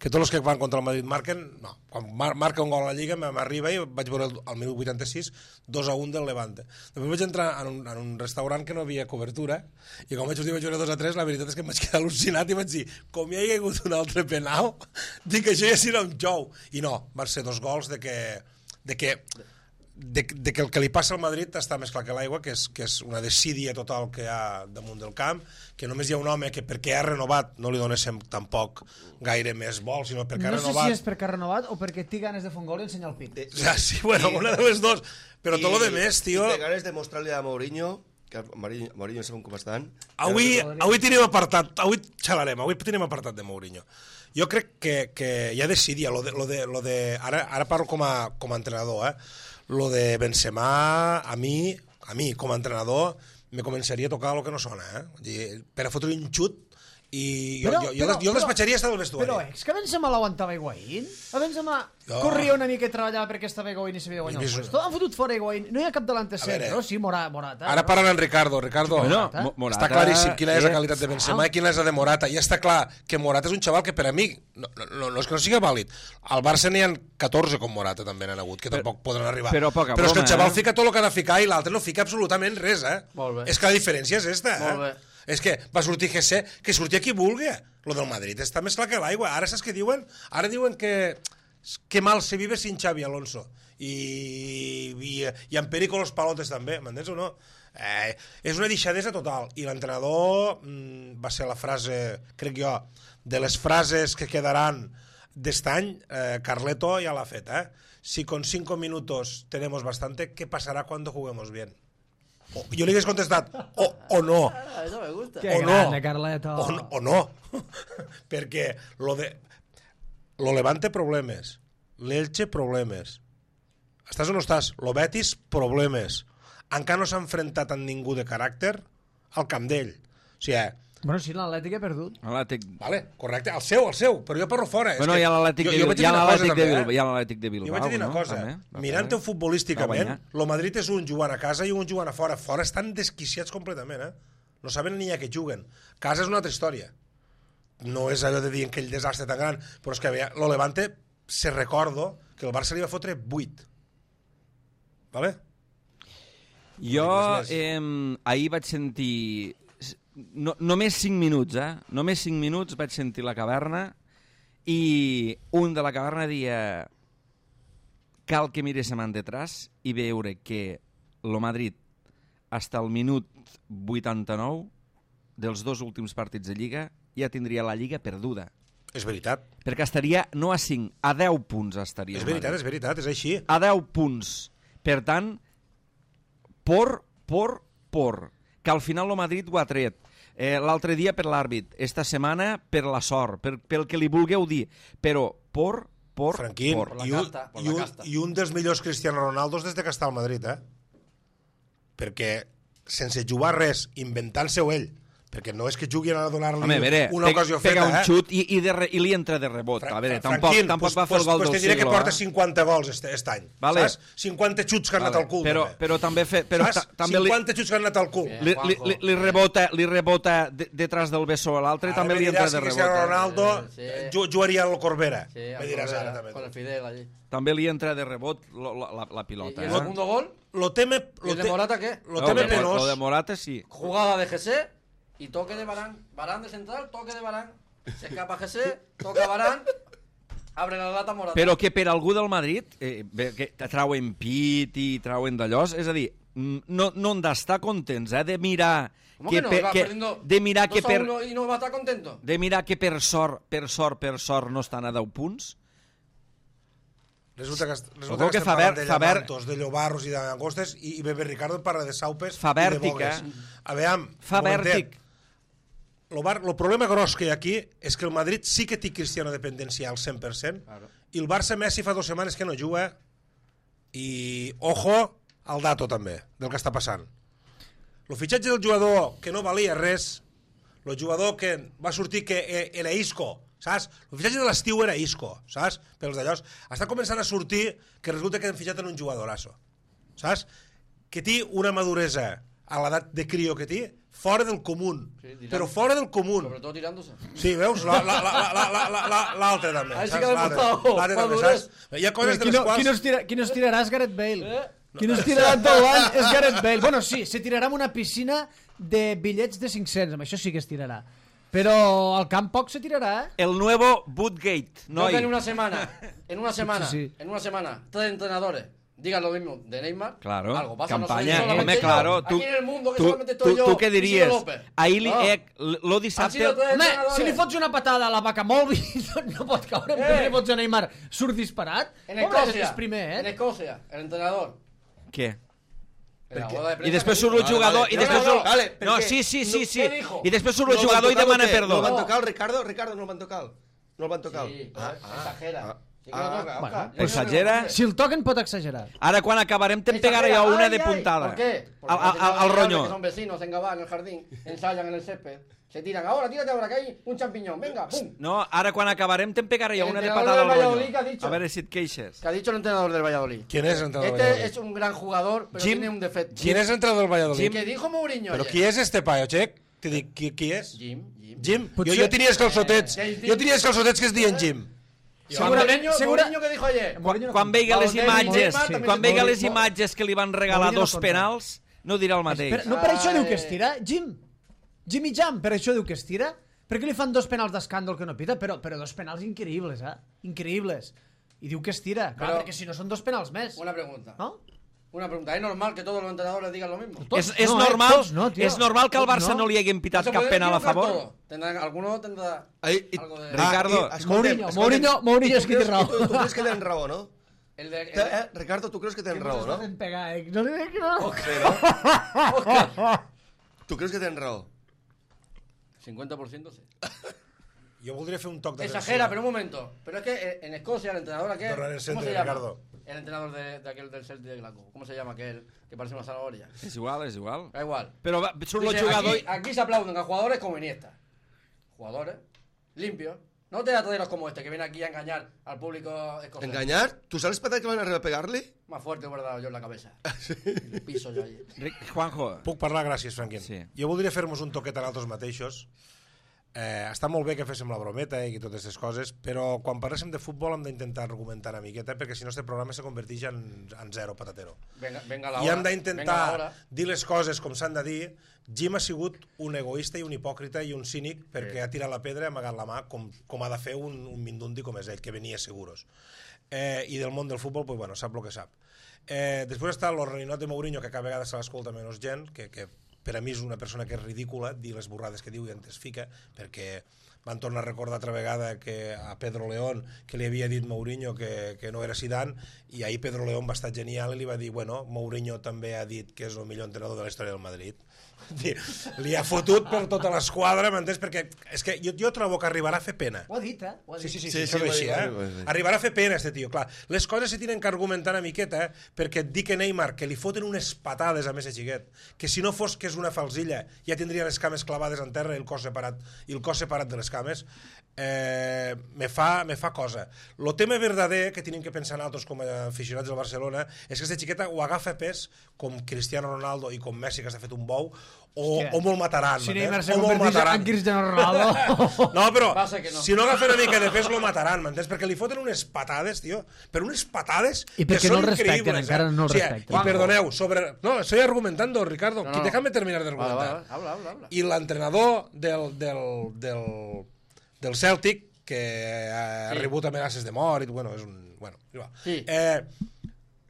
que tots els que van contra el Madrid marquen, no, quan mar marca un gol a la Lliga m'arriba i vaig veure el, al minut vuitanta-sis dos a un del Levante. Després vaig entrar en un, en un restaurant que no havia cobertura i quan vaig sortir vaig veure dos a tres, la veritat és que em vaig quedar al·lucinat i vaig dir, com hi ha hagut un altre penal, dic que això ja serà un xou. I no, van ser dos gols de que, de que De, de que el que li passa al Madrid està més clar que l'aigua, que, és, que és una desídia total que hi ha damunt del camp, que només hi ha un home que perquè ha renovat no li donéssim tampoc gaire més vol, sinó perquè no ha renovat... No sé si és perquè ha renovat o perquè té ganes de fer un gol i ensenyar el pit. O sea, sí, bueno, I, una de les dos, però I, tot lo de més, tio... I té ganes de mostrar-li a Mourinho, que Mourinho, Mourinho sabem com estan... Avui, avui tenim apartat, avui xalarem, avui tenim apartat de Mourinho. Jo crec que, que hi ha desídia, lo de, lo de, lo de, ara, ara parlo com a, com a entrenador, eh? Lo de Benzema, a mi, a mi com a entrenador, me començaria a tocar el que no sona, eh? Per a fotre un xut i jo, però, jo, jo, però, jo el despatxaria estar del vestuari. Però és que a Benzema l'aguantava Higuaín? A Benzema jo... corria una mica i treballava perquè estava Higuaín i s'havia de guanyar el puesto. Han fotut fora Higuaín. No hi ha cap delanter centre, no? Sí, Morata. Morata ara parlen en Ricardo. Ricardo, bueno, Morata, està claríssim quina és la qualitat de Benzema i quina és la de Morata. I està clar que Morata és un xaval que per a mi, no, no, no és que no sigui vàlid, al Barça n'hi ha catorze com Morata també n'han hagut, que tampoc podran arribar. Però, poca però és que el xaval eh? fica tot el que ha de ficar i l'altre no fica absolutament res, eh? És que la diferència és esta, eh? Molt bé. És que va sortir G C, que sortia qui vulgui. Lo del Madrid està més clar que l'aigua. Ara saps què diuen? Ara diuen que que mal se vive sin Xavi Alonso. I, i, i en perico los palotes també, m'entens o no? Eh, és una deixadesa total. I l'entrenador mmm, va ser la frase, crec jo, de les frases que quedaran d'este any, eh, Carleto ja l'ha fet, eh? Si con cinco minutos tenemos bastante, ¿qué pasará cuando juguemos bien? O, jo li hagués contestat, o, o no. Eso me gusta. Que o grande, no. Carleto. O, no, o no. Perquè lo de... Lo Levante problemes, l'Elche problemes. Estàs o no estàs? Lo Betis problemes. Encara no s'ha enfrontat amb ningú de caràcter al camp d'ell. O sigui, bueno, sí, l'Atlètic ha perdut. L'Atlètic... vale, correcte, el seu, el seu, però jo parlo fora. Bueno, hi ha l'Atlètic de, de, hi ha l'Atlètic de, eh? hi ha l'Atlètic de Bilbao, jo vaig dir una no? cosa, mirant-ho futbolísticament, lo Madrid és un jugant a casa i un jugant a fora. Fora estan desquiciats completament, eh? No saben ni a què juguen. Casa és una altra història. No és allò de dir aquell desastre tan gran, però és que lo Levante, se recordo que el Barça li va fotre vuit. Vale? Jo eh, ahir vaig sentir... No, només cinc minuts, eh? Només cinc minuts vaig sentir la caverna i un de la caverna dia cal que miréssim en detrás i veure que el Madrid fins al minut vuitanta-nou dels dos últims partits de Lliga ja tindria la Lliga perduda. És veritat. Perquè estaria no a cinc, a deu punts estaria. És veritat, és veritat, és així. A deu punts. Per tant, por, por, por. Que al final el Madrid ho ha tret. Eh, l'altre dia per l'àrbit, esta setmana per la sort, per, pel que li vulgueu dir. Però por, por, Franquín, por. I un, i, un, i un dels millors Cristiano Ronaldos des de que està al Madrid, eh? Perquè sense jugar res, inventant-se-ho ell, perquè no és que jugui a donar-li una veure, ocasió pega feta, un eh? xut i, i, de re, i li entra de rebot. Fra a veure, Fra tampoc, Franquín, tampoc pues, va fer el gol pues, del pues te diré siglo. que porta eh? cinquanta gols este, este any, vale. saps? cinquanta xuts que han anat vale. al cul. Però, també. però també... Fe, però saps? també li, cinquanta xuts que han anat al cul. li, li, li, li rebota, li rebota de, detrás del bessó a l'altre i també li entra de rebot. Cristiano Ronaldo Sí. jugaria al Corbera. Sí, me diràs ara també. con el Fidel allí. També li entra de rebot la, la, la pilota. ¿Y el eh? segundo gol? Lo teme... ¿Y el de Morata qué? Lo No, teme de, penós. lo de Morata sí. Jugada de G C y toque de Varane. Varane de central, toque de Varane. Se escapa G C, toca Varane, abre la lata Morata. Però que per algú del Madrid, eh, bé, que trauen pit i trauen d'allòs, és a dir, no, no han d'estar contents, eh, de mirar... ¿Cómo que, que, no? per, Va que perdiendo de mirar que dos a per uno y no va a estar contento. de mirar que per sort, per sort, per sort no estan a deu punts. Resulta que, resulta Ojo que que estem Faber- parlant de Faber- llamantos, de llobarros i d'angostes i, i Bebe Ricardo parla de saupes Fa i de vèrtic, bogues. eh? A veure, Fa vèrtic. El, bar, el problema gros que hi ha aquí és que el Madrid sí que té Cristiano dependència al cent per cent Claro. i el Barça Messi fa dues setmanes que no juga i ojo al dato també del que està passant. El fitxatge del jugador que no valia res, el jugador que va sortir que era Isco, saps? El fitxatge de l'estiu era Isco, saps? Pels d'allòs. Està començant a sortir que resulta que han fitxat en un jugadorasso, saps? Que té una maduresa a l'edat de crio que té, fora del comú. Sí, Però fora del comú. Sobre todo tirándose. Sí, veus? L'altre també. Ahí sí saps? que ha L'altre costado. l'altre també, saps? Hi ha coses de Qui les no, qui, no quals... es tira, qui no es tirarà és Gareth Bale. Eh? Qui no es tirarà tot l'any és Gareth Bale. Bueno, sí, se tirarà en una piscina de bitllets de cinc-cents, amb això sí que es tirarà. Però al camp poc se tirarà, eh? El nuevo Bootgate, No, que en noi. una semana, en una semana, Sí, sí. en una semana, tres entrenadores digan lo mismo de Neymar. Claro, algo pasa, no campaña, soy solamente hombre, yo. claro. Aquí Tú, en el mundo que tú, solamente estoy tú, yo. tú què y Ciro diries? López. Ahir li, No. eh, lo Han dissabte... sido tres Home, entrenadores. si li fots una patada a la vaca Molvi, no pot caure. Eh. Eh. Si li fots a Neymar, surt disparat. En Home, Escocia, és primer, en eh? Escocia, el entrenador. Què? En la boda de prensa I després que surt el dijo. jugador i No, després no, surt... no. Vale, per No, què? sí, sí, sí, No, sí. què dijo? I després surt No el el van jugador i tocar o demana què? perdó. No el van No. tocar el Ricardo? Ricardo no el van tocar. No el van tocar. Sí, Ah, exagera. ah, Sí que lo ah. toca, Bueno, Oscar. pues exagera. Si el toquen pot exagerar. Ara, quan acabarem, te'n Exagera. pegaré jo una Ay, de ay. puntada. ¿Por qué? Porque Al, al, los al, al señores roño. que son vecinos en Gabá, en el jardín, ensayan en el césped, se tiran. Ahora, tírate ahora, que hay un champiñón. Venga, pum. No, ara, quan acabarem, te'n pegaré jo El una de entrenador patada al del Valladolid, roño. ¿qué ha dicho? A veure si et queixes. Que ha dicho el entrenador del Valladolid. ¿Quién es el entrenador del Este Valladolid? es un gran jugador, pero Jim- tiene un defecto. ¿Quién es el entrenador del Valladolid? Que dijo Mourinho Però ayer. qui és este paio, Xec? Te dic, qui, qui és? Jim, Jim. Jim? Jo, Potser- jo tenia els calçotets. Eh, Jo tenia els calçotets que es diuen Jim. Segurament, Mourinho, segura... Mourinho, ¿qué dijo ayer? Mourinho no Quan compta. veiga les Balotelli, imatges, Neymar, també quan se- veiga les Mourinho- imatges que li van regalar Mourinho no dos compta. penals, no dirà el mateix. Però, no per això Ai. diu que es tira, Jim. Jimmy Jam, per això diu que es tira. Per què li fan dos penals d'escàndol que no pita? Però, però dos penals increïbles, eh? Increïbles. I diu que es tira. Clar, Però- perquè si no són dos penals més. Una pregunta. No? Una pregunta. ¿Es normal que todos los entrenadores digan lo mismo? Tots És, és, no, eh? normal, Tots no, tio. és normal que al Tots Barça no, no. li haguin pitat No se cap puede penal a equivocar favor. todo. Tendrán, alguno tendrá Ai, i- algo de... Ricardo, Ah, i- escolta'm, Mourinho, escolta'm, Mourinho, Mourinho i és tu qui té creus- raó. i Tu, tu creus que tenen raó, no? El de... el Te- de- Eh, Ricardo, tu creus que tenen raó, no? Fent pegar, eh? No li dic no. Sí, no? Tu creus que tenen raó? cincuenta por ciento sí. Jo voldria fer un toc de Exagera, pero un momento. Pero es que en Escocia el entrenador aquel... Tornar el ¿Cómo centre, se llama? Ricardo. El entrenador de, de aquel del Celtic de Glasgow. ¿Cómo se llama aquel que parece una zanahoria? És igual, és igual. Da igual. Però va, surt el Dice, jugador... aquí, aquí se aplauden a jugadores como Iniesta. Jugadores limpios. No te traderos como este que viene aquí a engañar al público escocés. Enganyar? Tu saps patat que van arribar a pegar-li? Más fuerte hubiera dado yo en la cabeza. El piso yo allí. Ric- Juanjo, Puc parlar? Gràcies, Franquín. Sí. Jo voldria fer-nos un toquet a nosaltres mateixos. Eh, està molt bé que féssim la brometa i totes aquestes coses, però quan parléssim de futbol hem d'intentar argumentar una miqueta, perquè si no este programa se converteix en, en zero patatero. Venga, venga la I hora. hem venga la d'intentar hora. dir les coses com s'han de dir. Jim ha sigut un egoista i un hipòcrita i un cínic perquè Sí. ha tirat la pedra i ha amagat la mà com, com ha de fer un, un mindundi com és ell, que venia seguros. Eh, I del món del futbol, pues, bueno, sap el que sap. Eh, després està el reinot de Mourinho, que cada vegada se l'escolta menys gent, que, que per a mi és una persona que és ridícula, dir les borrades que diu i en es fica, perquè van tornar a recordar altra vegada que a Pedro León, que li havia dit Mourinho que, que no era Zidane, i ahir Pedro León va estar genial i li va dir, bueno, Mourinho també ha dit que és el millor entrenador de la història del Madrid. Li ha fotut per tota l'esquadra, m'entens? Perquè és que jo, jo trobo que arribarà a fer pena. Ho ha dit, eh? Ho ha dit. Sí, sí, sí, Sí, sí, sí, això ho és va així, dir, eh? ho va dir. Arribarà a fer pena, este tio, clar. Les coses se tenen que argumentar una miqueta, eh? Perquè et dic que Neymar, que li foten unes patades a més a xiquet, que si no fos que és una falsilla, ja tindria les cames clavades en terra i el cos separat, i el cos separat de les cames, eh, me, fa, me fa cosa. El tema verdader que tenim que pensar nosaltres com a aficionats del Barcelona és que aquesta xiqueta ho agafa pes com Cristiano Ronaldo i com Messi, que s'ha fet un bou, o, Hòstia. o molt mataran. Si m'entens? Neymar se O molt converteix mataran. en Cristiano Ronaldo... No, però Va ser que no. si no agafa una mica de pes lo mataran, m'entens? Perquè li foten unes patades, tio, però unes patades I que perquè són no el respecten, increïbles, encara eh? no el Sí, respecten. I perdoneu, sobre... No, estoy argumentando, Ricardo, No, que no. déjame terminar de Vale, argumentar. vale, habla, habla, habla. I l'entrenador del, del, del, del Celtic, que ha Sí. rebut amenaces de mort, i bueno, és un... Bueno, igual. Sí. Eh,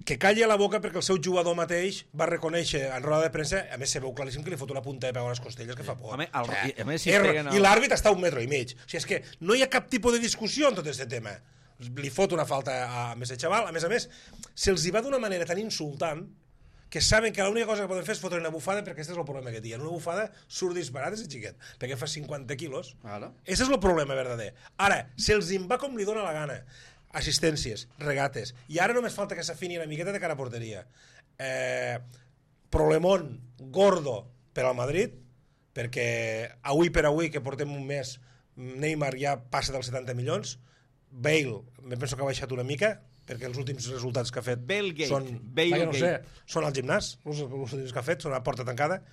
que calli a la boca perquè el seu jugador mateix va reconèixer en roda de premsa, a més se veu claríssim que li fot una punta de peu a les costelles que fa por. Home, el- O sigui, i- a més, si er- peguen el- I l'àrbit està a un metro i mig. O sigui, és que no hi ha cap tipus de discussió en tot aquest tema. Li fot una falta a, a ese xaval, a més a més, se'ls hi va d'una manera tan insultant que saben que l'única cosa que poden fer és fotre una bufada, perquè aquest és el problema que tenen. Una bufada surt disparat, és xiquet, perquè fa cinquanta quilos. Claro. Ese és el problema verdader. Ara, se'ls en va com li dóna la gana. Assistències, regates. I ara només falta que s'afini una miqueta de cara a porteria. Eh, problemón gordo per al Madrid, perquè avui per avui, que portem un mes, Neymar ja passa dels setanta milions. Bale, me penso que ha baixat una mica, perquè els últims resultats que ha fet Balegate, són, Balegate. no sé, són al gimnàs, els, els últims que ha fet, són a porta tancada.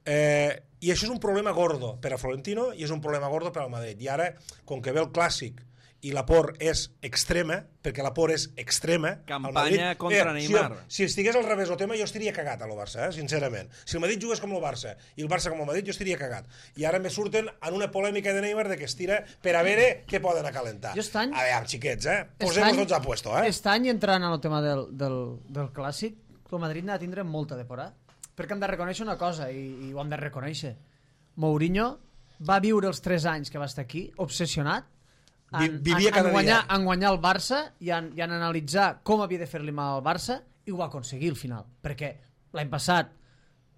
Eh, I això és un problema gordo per a Florentino i és un problema gordo per al Madrid. I ara, com que ve el Clàssic i la por és extrema, perquè la por és extrema... Campanya contra Neymar. Si, si estigués al revés el tema, jo estaria cagat a lo Barça, eh, sincerament. Si el Madrid jugués com el Barça i el Barça com el Madrid, jo estaria cagat. I ara me surten en una polèmica de Neymar de que es tira per a veure què poden acalentar. Jo estany... A veure, xiquets, eh? Posem-nos tots a puesto, eh? Aquest any, entrant en el tema del, del, del Clàssic, el Madrid n'ha de tindre molta de por, eh? Perquè hem de reconèixer una cosa, i, i ho hem de reconèixer. Mourinho va viure els tres anys que va estar aquí, obsessionat, en, Vivia en, cada en, guanyar, dia. en guanyar el Barça i en, i en analitzar com havia de fer-li mal al Barça, i ho va aconseguir al final. Perquè l'any passat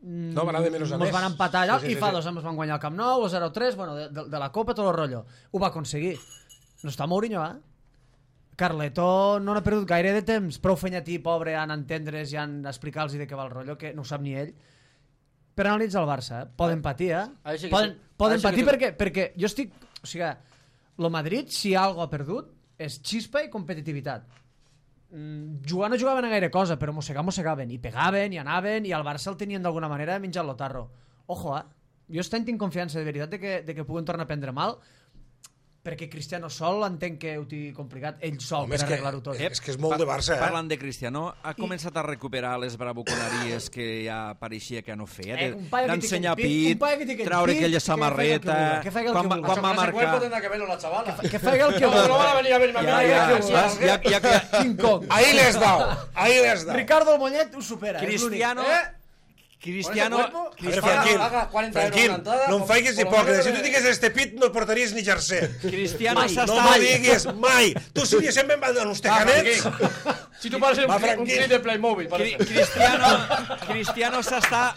No, va anar de menys a ens més. van empatar allò, Sí, sí, i sí, fa sí. dos anys van guanyar el Camp Nou, el zero tres, bueno, de, de, de la Copa, tot el rotllo. Ho va aconseguir. No està Mourinho, eh? Carleto no n'ha perdut gaire de temps, prou fenyatí, pobre, en entendre's i en explicar-los de què va el rotllo, que no ho sap ni ell. Per analitzar el Barça, eh? Poden patir, eh? Ahí sí que Poden, sí. poden Ahí sí que patir sí. perquè, perquè jo estic... O sigui, el Madrid, si algo ha perdut, és xispa i competitivitat. Mm, jugar no jugaven a gaire cosa, però mossegar mossegaven, i pegaven, i anaven, i el Barça el tenien d'alguna manera menjat l'otarro. Ojo, eh? Jo estem tinc confiança de veritat de que, de que puguen tornar a prendre mal, perquè Cristiano sol entenc que ho té complicat, ell sol, Home, per és que- arreglar-ho tot. és que és molt de Barça, eh? Parlant de Cristiano, ha començat a recuperar les bravuconeries que ja pareixia que no feia, Eh, de- un paio que d'ensenyar té aquell pit, un pit, paio que té aquell traure pit, aquella que faci el que samarreta, vulgui, que faci el quan, que va- vulgui. quan va Con ese cuerpo marcar... tendrá que verlo la chavala. Que faci el que No, no van a vulgui. venir a verme a mí. Ja, que ja, que ja, sí, ja, ¿qué? ja, ja, King Kong. Ahí les dau, ahí les dau. Ricardo el Mollet ho supera. Cristiano... ¿Eh? Cristiano... Con ese cuerpo, A veure, Cristiano Franquil, haga cuarenta euros Franquil, una entrada, no em por- faigues por lo hipòcrita. menos Si tu de- tingués este pit, no portaries ni jersey. Cristiano Mai, s'està... no m'ho diguis mai. Tu series sempre amb uns tecanets. Si tú pareces un, Va, cli- un Franquil. clip de Playmobil, Cri- parece. Cristiano... Cristiano s'està...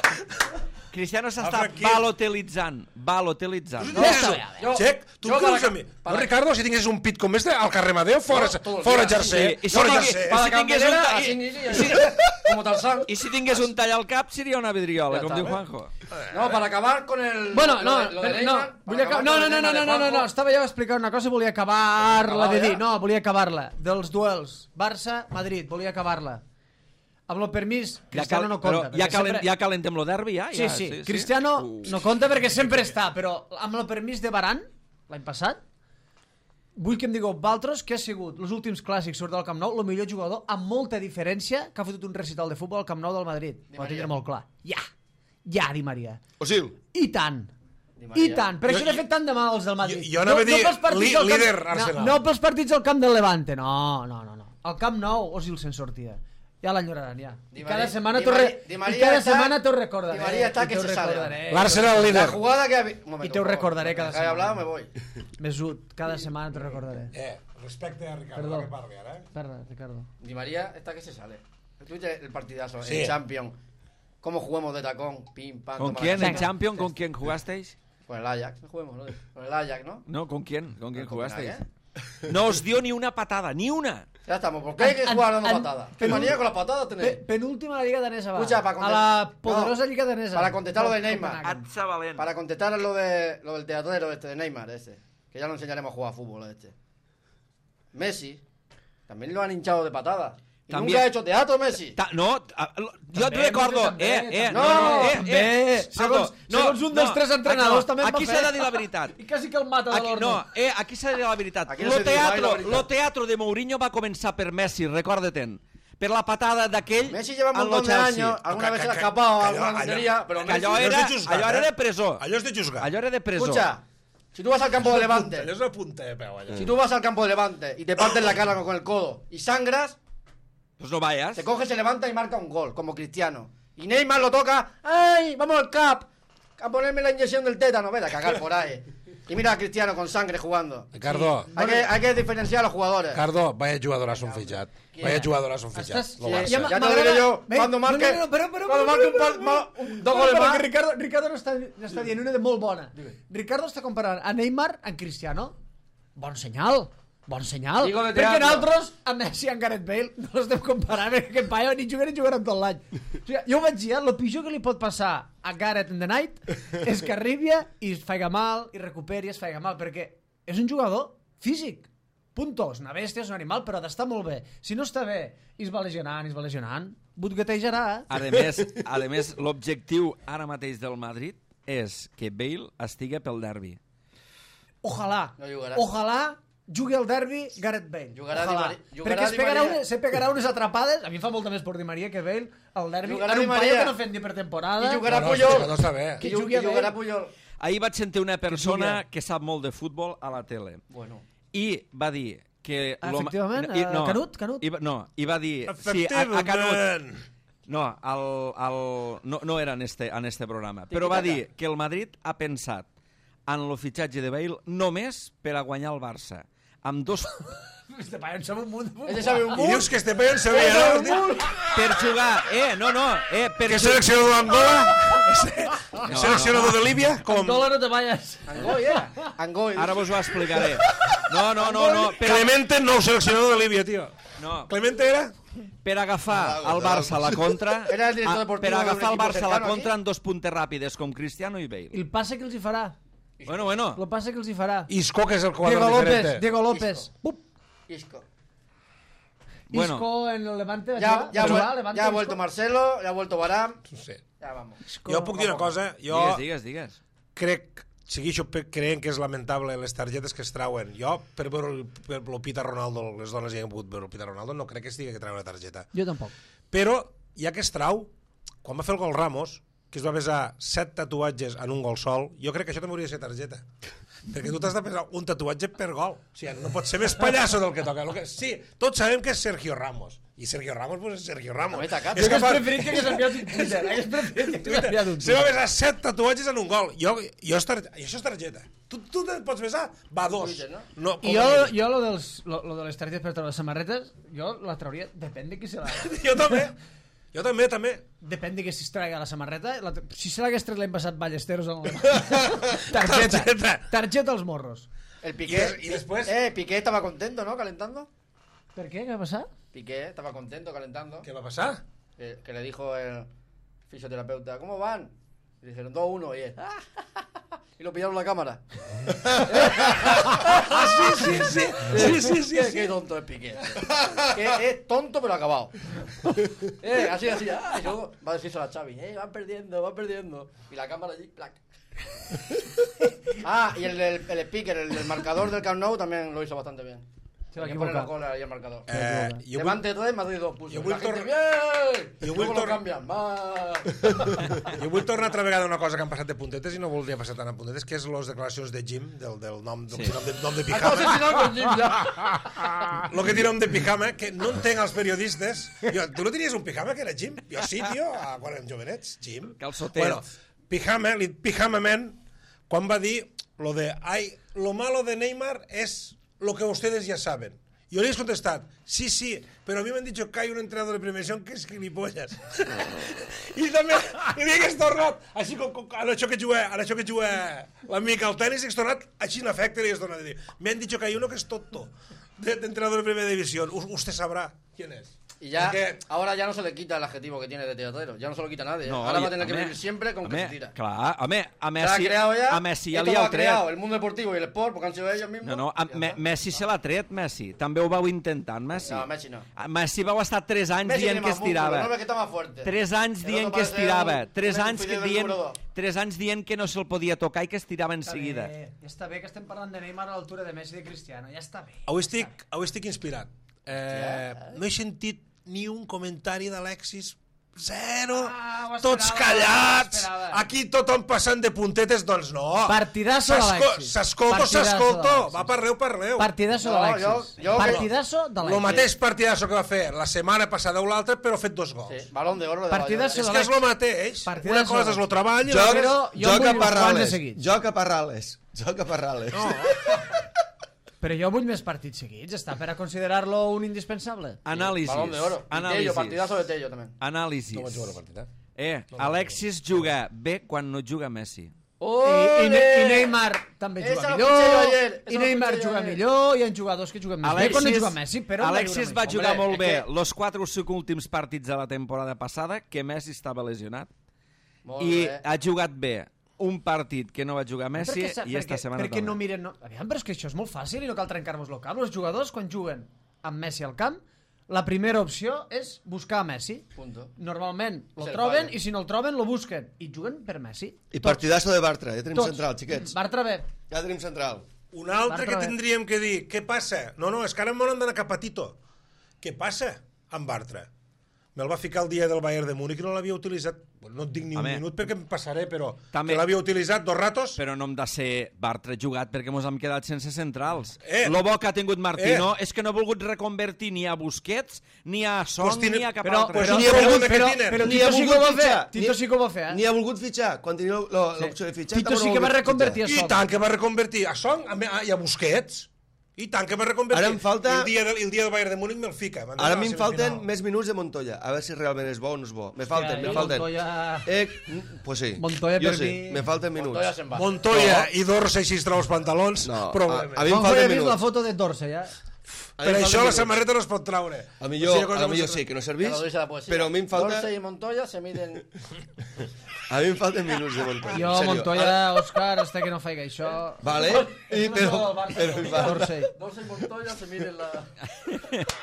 Cristiano s'està Franquil. balotelitzant. Balotelitzant. No, Ja està, ja, jo- Xec, tu jo creus para- a mi? para- No, Ricardo, si tinguessis un pit com este, al carrer Madeo, fora, No, todo el fora día. jersey. Sí, i si Fora tingués- jersey. Para si tingués un campanera, ta- así, i- así, como Tarzán. I si tingués un tall al cap seria una vidriola, Ja com està, diu eh? Juanjo. No, para acabar con el... Bueno, lo no, de- lo de però- Neymar, no, para vull acabar, acabar no, con no, el no, no, Neymar no, de no, no, Juanjo. no, estava jo explicant una cosa i volia acabar-la de Acabada dir, ja? no, volia acabar-la, dels duels, Barça-Madrid, volia acabar-la. Amb el permís, Cristiano no compta. Però ja, perquè calen, sempre- ja calentem lo derbi, ja? Sí, ja, sí, Cristiano Uh. no compta perquè sempre està, però amb el permís de Varane, l'any passat, vull que em digueu Valtros que ha sigut els últims clàssics sobre el Camp Nou el millor jugador amb molta diferència que ha fotut un recital de futbol al Camp Nou del Madrid. Ho va tindre molt clar. Ja, ja, Di Maria. Osil. I tant. Di Maria. I tant, per Jo- això n'he fet tant de mal als del Madrid. Jo- jo anava a dir pels partits li- al camp- líder Arsenal. No, no pels partits al camp del Levante, no, no, no. no. Al Camp Nou, Osil se'n sortia. Ja l'enyoraran, ja. Di I cada Maria- setmana Di t'ho Maria- re... Di I Maria cada està- setmana t'ho recordaré. Di Maria està I que t'ho se sale. recordaré. L'Arsenal La líder. jugada que... ha vi- Un momento, I te ho por favor. recordaré cada Deja de setmana. hablar, me voy. Mesut, cada setmana t'ho recordaré. Eh, respecte a Ricardo, Perdó. que parli ara, eh? Perdó, Ricardo. Di María está que se sale. Tuviste el partidazo Sí. en Champions. Cómo jugamos de tacón, pim, pam. ¿Con toma quién la en chaca. Champions? ¿Con quién jugasteis? Con el Ajax, no juguemos, ¿no? Con el Ajax, ¿no? No, ¿con quién? ¿Con quién Con jugasteis? Copenhague. No os dio ni una patada, ni una. Ya estamos, ¿por qué hay que An- jugar dando an- patadas? penú- ¿Qué manía con las patadas Pe tenéis? penúltima Lliga Danesa, va. Escucha, para a la contestar- poderosa no, Lliga Danesa. para contestar lo de Neymar. Copenhague. Atza valent. Para contestar lo, de, lo del teatrero este de Neymar, ese. Que ya lo enseñaremos a jugar a fútbol a este. Messi, también lo han hinchado de patadas. Y También. nunca ha hecho teatro Messi. Ta no, a- lo- jo et També, recordo... també, Eh, eh, també. no, no, eh, També. eh, Segons- Aldo, segons un dels tres entrenadors, també em va aquí fer. s'ha de dir la veritat. I quasi que el mata de Aquí, l'Orno. no, eh, aquí s'ha de dir la veritat. Aquí no Lo se diu mai la teatro, veritat. lo teatro de Mourinho va començar per Messi, recorda-te'n. Per la patada d'aquell Messi lleva un en lo montón de Chelsea. años, alguna Que- vez que- se le ha que- escapado que alguna allò- tontería, pero Que Messi... allò Allò era, és de juzgat, allò era eh? de presó. Allò és de juzgar. Allò era de presó. Escucha, si tú vas al campo de Allò Levante, és una punta de peu, allò. si tú vas al campo de Levante y te partes la cara con el codo y sangras, Pues no vayas. te coge, se levanta y marca un gol, como Cristiano. Y Neymar lo toca, ¡ay! ¡Vamos al cap! A ponerme la inyección del tétano, vete a cagar por ahí. Y mira a Cristiano con sangre jugando. Ricardo, Hay que, hay que diferenciar a los jugadores. Ricardo, vaya jugadoras han fitxat. Vaya jugadoras han fitxat. Estàs- Lo Sí, Barça. ja m'ha- te lo m'agrada- diré yo, Ve, cuando no, marque- no, no, però, però, cuando però, marque un però, par- però, ma- però, un- dos però, goles però, más. que Ricardo, Ricardo no està, no està dient una de molt bona. Ricardo està comparant a Neymar amb Cristiano. Bon senyal. Bon senyal. Digo de Perquè teatro. nosaltres, a Messi i a Gareth Bale, no l'estem comparant, perquè aquest paio ni jugarà ni jugarà tot l'any. O sigui, jo ho vaig dir, eh? El pitjor que li pot passar a Gareth in the night és que arribi i es faiga mal, i recuperi i es faiga mal, perquè és un jugador físic. Punto. És una bèstia, és un animal, però ha d'estar molt bé. Si no està bé, i es va lesionant, i es va lesionant, butguetejarà, eh? A més, a més l'objectiu ara mateix del Madrid és que Bale estigui pel derbi. Ojalà, No jugarà. ojalà jugui al derbi Gareth Bale. Jugarà Ojalà. Di Mari- jugarà Perquè es Di pegarà, Maria. unes, se pegarà unes atrapades. A mi em fa molta més por Di Maria que Bale al derbi. Jugarà en Di un paio Maria. que no fem ni per temporada. I jugarà No, no, Puyol. això no està bé. Que Que jugui a jugarà Bale. Puyol. Ahir vaig sentir una persona jugui. que sap molt de futbol a la tele Bueno. i va dir que... Ah, l'home- efectivament, i- eh, Canut, Canut. I, va- no, i va dir... Sí, a, a Canut. Efectivament. No, el, el, no, no era en este, en este programa, però va dir que el Madrid ha pensat en el fitxatge de Bale només per a guanyar el Barça. Amb dos... Este paio en sap un munt. Ell sabe un I munt. dius que este paio en sabia, no? per jugar... Eh, no, no, eh, per Que jugar... seleccionador d'Angola? No, seleccionador de Líbia? Com? Angola no te vayas. Angoi, eh? Angoi. Ara vos ho explicaré. No, no, no, no, per, a, Clemente, nou seleccionador de Líbia, tio. no, Clemente era? per agafar el Barça a la contra... Era el director a- deportivo per de un agafar el equipo Barça a la cercano contra aquí. en dos puntes ràpides, com Cristiano i Bale. I el passe que els hi farà. Bueno, bueno. El passe que els hi farà. Isco, que és el quadre Diego López, diferente. Diego López. Isco. Bup. Isco. Bueno. Isco en el Levante. va Ya, jugar? ya, Va vuel- jugar, Levante, ya ha Isco? vuelto Marcelo, ya ha vuelto Varane. Sí. Ya vamos. Jo puc dir una cosa, jo Digues, digues, digues. crec, segueixo pe- creient que és lamentable les targetes que es trauen. Jo, per veure el, per el Pita Ronaldo, les dones hi han pogut veure el Pita Ronaldo, no crec que estigui que treure una targeta. Jo tampoc. Però, ja que es trau, quan va fer el gol Ramos, que es va besar set tatuatges en un gol sol, jo crec que això també hauria de ser targeta. Perquè tu t'has de pesar un tatuatge per gol. O sigui, no pot ser més pallasso del que toca. Lo que, sí, tots sabem que és Sergio Ramos. I Sergio Ramos, pues és Sergio Ramos. No, tacat. És Jo hagués capaç- preferit que hagués enviat un Twitter. Hagués preferit que hagués enviat un Se va Twitter. besar set tatuatges en un gol. Jo, jo és tar... I això és targeta. Tu, tu te'n pots besar? Va, dos. Twitter, no? No, com I a jo, mínim. jo lo, dels, lo, lo de les targetes per treure les samarretes, jo la trauria, depèn de qui se la... jo també. Jo també, també. Depèn de que si es traiga la samarreta. La, si se l'hagués tret l'any passat Ballesteros en el... Targeta. targeta. Targeta als morros. El Piqué. Y des- y después- Eh, Piqué estaba contento, ¿no? Calentando. Per què? Què va passar? Piqué estaba contento calentando. Què va passar? Que, que le dijo el fisioterapeuta, ¿cómo van? Y dijeron dos uno y él. Y lo pillaron la cámara. Ah, sí, sí, sí. Sí, sí, sí. Qué, sí. qué tonto es Piqué. Que es tonto pero acabado. Eh, así, así. Ah, y luego va a decirse a la Xavi, eh, van perdiendo, van perdiendo. Y la cámara allí, plac. Ah, y el, el, el speaker, el, el marcador del Camp Nou también lo hizo bastante bien. Se va Hay que poner los equivocar. goles ahí al marcador. Eh, jo vull, Levante tres, Madrid dos puso. Jo Y vull la gente, tor- bien. jo Y vull luego lo tor- cambian. Más. jo vull tornar altra vegada a una cosa que han passat de puntetes i no voldria passar tant a puntetes, que és les declaracions de Jim, del, del nom, del Sí. nom, de, nom de Acabo de pijama. asesinar con Jim ya. Lo que té nom de pijama, que no entenc els periodistes. Jo, tu no tenies un pijama que era Jim? Jo sí, tio, a- quan érem jovenets, Jim. Calçotets. Bueno, pijama, li- pijama man, quan va dir lo de, ay, lo malo de Neymar es lo que ustedes ya saben. Yo le he contestat, sí, sí, pero a mí me han dicho que hay un entrenador de primera división que és gilipollas. I també li hagués tornat, així com, com en això que juga, en això que juga l'amic al tenis, hagués tornat així en efecte, li hagués tornat a dir, me han dicho que hay uno que es tonto, de, de entrenador de primera división. U usted sabrá quién es. Y ya, Porque- ahora ya no se le quita el adjetivo que tiene de teatrero. Ya no se lo quita nadie. No, ahora va i- a tener que home, vivir siempre con que home, se tira. Clar, home, a Se Messi, ha creado ya. a Messi ja esto li lo ha ha creado tret. el mundo deportivo y el sport, porque han sido ellos mismos. No, no, a, Ya me, está. Messi se l'ha tret, Messi. També ho vau intentar, Messi. No, Messi no. A Messi vau estar tres anys Messi dient tiene que más músculo, estirava. no ve que está más fuerte. Tres anys El dient otro que parece estirava. un- Tres un anys que fidel del dient, número dos. tres anys dient que no se'l podia tocar i que estirava en seguida. Està bé, està bé que estem parlant de Neymar a l'altura de Messi i de Cristiano. Ja està bé. Avui estic, avui estic inspirat. Eh, no he sentit ni un comentari d'Alexis. Zero. Ah, ho Tots esperava, callats. ho esperava. Aquí tothom passant de puntetes. Doncs no. Partidazo S'esco- d'Alexis. S'escolta o Partidazo s'escolta. d'Alexis. Va, parleu, parleu. Partidazo No, d'Alexis. jo- jo- Partidazo d'Alexis. El mateix partidazo que va fer la setmana passada o l'altra, però ha fet dos gols. Sí, balón de oro de Partidazo És Valladolid. que és el mateix. Partidazo Una cosa és el d'Alexis. treball i Jo- l'altra és... Però jo Joc vull a uns quants de Parrales. seguits. Joc a Parrales. Joc a Parrales. No. Però jo vull més partits seguits. Està per a considerar-lo un indispensable. Anàlisis. Balón de oro. Y Tello, Anàlisis. partidazo de Tello también. Anàlisis. No vaig veure el partit, eh? Eh, Alexis juga bé quan no juga Messi. I, i, Ne- I Neymar també Esa juga lo millor. escuché yo ayer, esa I lo Neymar escuché yo juga ayer. millor. Hi ha jugadors que juguen més bé quan no juga Messi, però Alexis va Messi. jugar Hombre, molt és bé que- los quatre o cinc últims partits de la temporada passada, que Messi estava lesionat. Molt I bé. ha jugat bé un partit que no va jugar Messi perquè, sa- i esta perquè, setmana perquè no també. miren... No... Aviam, però és que això és molt fàcil i no cal trencar-nos el cap. Els jugadors, quan juguen amb Messi al camp, la primera opció és buscar a Messi. Punto. Normalment lo És el troben fallo. i si no el troben lo busquen. I juguen per Messi. I partidazo de Bartra, ja tenim Tots. central, xiquets. Bartra bé. Ja tenim central. Un altre que Bartra, tindríem que dir, què passa? No, no, és que ara m'han d'anar cap a Tito. Què passa amb Bartra? Me'l va ficar el dia del Bayern de Múnich i no l'havia utilitzat, no et dic ni un Home. minut perquè em passaré, però També- que l'havia utilitzat dos ratos. Però no hem de ser Bartra jugat perquè mos hem quedat sense centrals. Eh. Lo bo que ha tingut Martino Eh. és que no ha volgut reconvertir ni a Busquets, ni a Son, Pues tiene- ni a cap Però, altre. pues però, ni ha però, volgut però, que però Ni Tito ha sí que ho volgut va fer. fitxar. Tito Ni- sí que ho va fer, eh? Ni ha volgut fitxar, quan tenia lo- l'opció de fitxar. Tito tampoc sí no que ha va volgut reconvertir fitxar. a I tant que va reconvertir a Son a, a, i a Busquets. I tant que va reconvertir. Ara em falta- I el dia, del, el dia del Bayern de Múnich me'l fica. M'han Ara a donat mi la em falten semifinal. més minuts de Montoya. A veure si realment és bo o no és bo. Me falten, jo me falten. Montoya- Eh, pues sí. Montoya jo per sí, mi- me falten minuts. Montoya se'n va. Montoya i Dorsey si es treu els pantalons, No, problema. a- a mi em Com falten he vist la minuts. foto de Dorsey, ja? A mi Per em això falten la minuts. samarreta no es pot treure. A O millor, sigui, cosa a millor que- sí, que no Que servís, lo dice la poesía. però a mi em falta... Dorsey y Montoya se miden... A mi em falten minuts de Montoya. Jo, en sèrio. Montoya, Òscar, hasta que no faig això... Vale, i, però, però em falta... Dorsey. Dorsey y Montoya se miden la...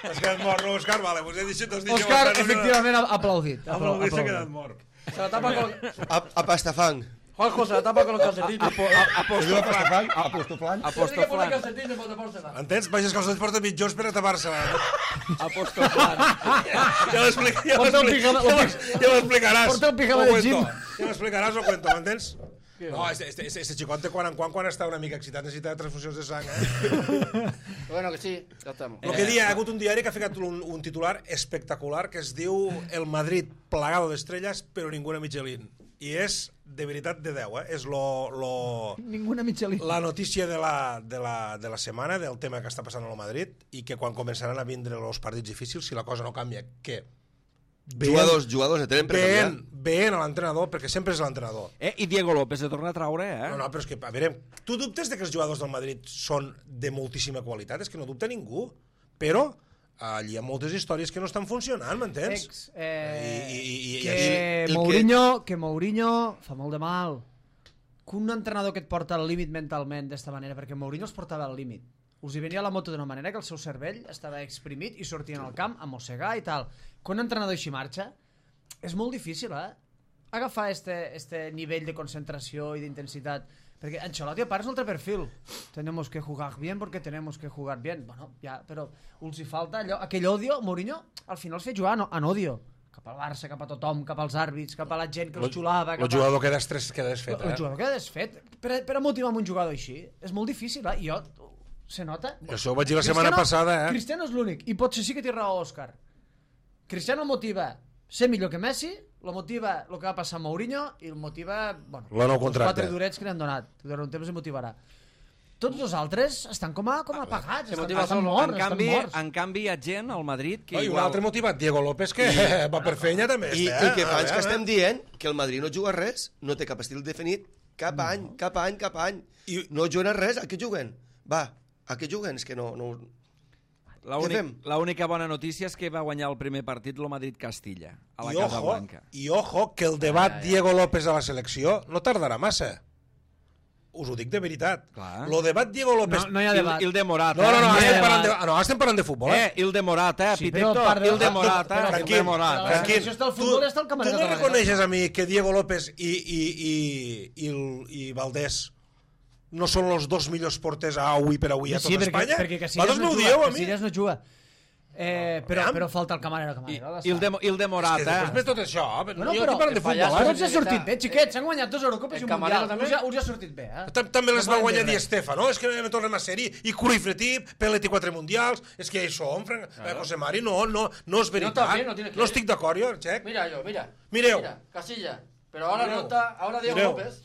Has quedat mort, no, Òscar? Vale, vos he dit, t'has dit... Òscar, efectivament, ha aplaudit. Ha aplaudit, s'ha quedat mort. Se la tapa con... A, a pastafang. Juanjo se la tapa con los calcetines. Apostoflang. Tiene que poner Apostoflant. calcetines para tapársela. Entens? Vaig els calçots porta mitjons per a tapar-se-la. Apostoflant. Ja m'explic- ja Porta un m'explic- pijama- ja m'ex- ja m'explicaràs. Porta un pijama O de cuento. gym. Ja m'explicaràs o cuento, m'entens? No, este, este, este, este xicot de quan en quan, quan està una mica excitat, necessita transfusions de sang, eh? Bueno, que sí, ya estamos. El que dia, ha hagut un diari que ha ficat un, un titular espectacular que es diu El Madrid plagado d'estrelles però ninguna Michelin. I és, de veritat, de deu, eh? És lo, lo, Ninguna Michelin. la notícia de la, de, la, de la setmana, del tema que està passant al Madrid, i que quan començaran a vindre els partits difícils, si la cosa no canvia, que Jugadors, jugadors, tenen per canviar. veient, veient a l'entrenador, perquè sempre és l'entrenador. Eh, I Diego López se torna a traure, eh? No, no, però és que, a veure, tu dubtes de que els jugadors del Madrid són de moltíssima qualitat? És que no dubta ningú. Però allí hi ha moltes històries que no estan funcionant, m'entens? Ex, eh, I- i- i- i que, el que- Mourinho, que Mourinho fa molt de mal. Que un entrenador que et porta al límit mentalment d'esta manera, perquè Mourinho els portava al límit. Us hi venia la moto d'una manera que el seu cervell estava exprimit i sortien al camp a mossegar i tal. Que un entrenador així marxa, és molt difícil, eh? Agafar este, este nivell de concentració i d'intensitat. Perquè Ancelotti a part és un altre perfil. Tenemos que jugar bien porque tenemos que jugar bien. Bueno, ja, però us hi falta allò, aquell odio. Mourinho al final els feia jugar en, en odio. Cap al Barça, cap a tothom, cap als àrbits, cap a la gent que els xulava. El cap a- jugador queda estrès, queda desfet, el eh? jugador queda desfet. Per, a- per a motivar un jugador així és molt difícil, eh? I jo, se nota? Jo això ho vaig dir la setmana passada, eh? Cristiano és l'únic, i potser sí que té raó Òscar. Cristiano el motiva ser millor que Messi, lo motiva el que va passar amb Mourinho i el motiva, bueno, La nou els contracte. quatre durets que li han donat. Durant un temps el motivarà. Tots els altres estan com a, com a apagats, Se estan, motiva estan solo. morts, En estan canvi, morts. en canvi, hi ha gent al Madrid que No, I un igual... altre motivat, Diego López, que va per feina també. I està, el que eh? fa és A que veure. estem dient que el Madrid no juga res, no té cap estil definit, cap any, cap any, cap any. I- No juguen a res, a què juguen? Va, a què juguen? És que no... no... fem? L'única bona notícia és que va guanyar el primer partit el Madrid-Castilla, a la I Casa ojo, Blanca. I ojo, que el debat Diego López a la selecció no tardarà massa. Us ho dic de veritat. Clar. Lo debat Diego López... No, no hi ha Il, debat. il de Morat, No, no, no, No hi ha estem parlant de, debat. ah, no, estem parlant de futbol, eh? Eh, il de Morat, eh, Sí, Pitecto, però part de- il de Ah, Morat, però- eh, il de tranquil, Morat, eh. tranquil. tranquil. selecció està al futbol i està el camarer tu de no la reconeixes a mi que Diego López i, i, i, i, el, i Valdés no són els dos millors porters a avui per avui a tot Sí, perquè, Espanya? perquè Casillas Vosaltres no m'ho juga, dieu a mi? Casillas no juga. Eh, però, Aviam. però falta el camarero, I, camarero. il, de, il de És Morat, que després eh. ve tot això, Bueno, jo però- estic parlant de el futbol, pallasso eh? Tots ha tiene que sortit estar- bé, xiquets. S'han guanyat dos Eurocopes El i un camarero Mundial. també? Us ha, us ha sortit bé, eh? Tam- També les No va poden guanyar dir Di res. Stefano, és que me tornem a ser-hi, i Cruyff Retip, Pellet i quatre mundials, és que això, Fran... eh, José Mari, no, no, no és veritat. también, no tiene que no ir. estic d'acord, jo, Xec. Mira yo, mira. Mireu. Mira, Casilla. Pero ahora Mireu. no está, ahora Diego Mireu. López.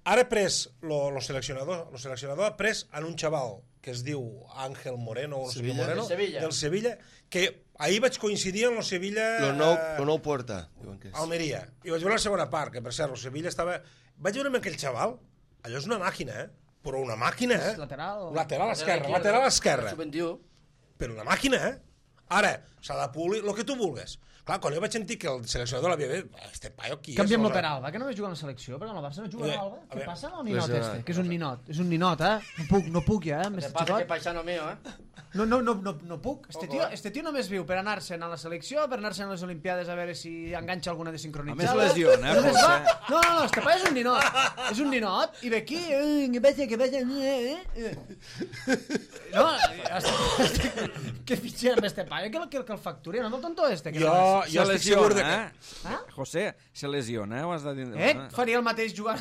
Ara he pres, lo, lo seleccionador, lo seleccionador ha pres en un xaval que es diu Ángel Moreno, o no sé què Sevilla. Moreno, Del Sevilla. del Sevilla, que ahir vaig coincidir en lo Sevilla... Lo nou, eh, lo nou Porta, diuen que és. Almeria. I vaig veure la segona part, que per cert, el Sevilla estava... Vaig veure amb aquell xaval, allò és una màquina, eh? Però una màquina, eh? És lateral o- Lateral esquerra, Izquierda, lateral esquerra. sub veintiuno. Però una màquina, eh? Ara, s'ha de polir el que tu vulguis. Clar, quan jo vaig sentir que el seleccionador l'havia dit, este paio qui és? Canviem-lo Aleshores- per Alba, que només juga en la selecció, perquè en el Barça no juga Oye, en Alba. a Què ver, passa amb el ninot lesionat. este? Que és un ninot, és un ninot, eh? No puc, no puc ja, eh? Te Més pasa que xicot. es paisano mío, ¿eh? No, no, no, no, no puc. Este tio, este tio només viu per anar-se'n a la selecció, per anar-se'n a les Olimpiades a veure si enganxa alguna de sincronitzada. A més lesiona, eh, Només José? va... No, no, no, este pa és un ninot. És un ninot, i ve aquí... eh, Que passa, que passa... eh, eh. No, estic... Que fitxer amb este pa, que el, que el facturi, no amb el tonto este. Que Jo, no és. jo estic segur de que... eh? José, se lesiona, eh? Ho has de dir. Eh? Faria el mateix jugar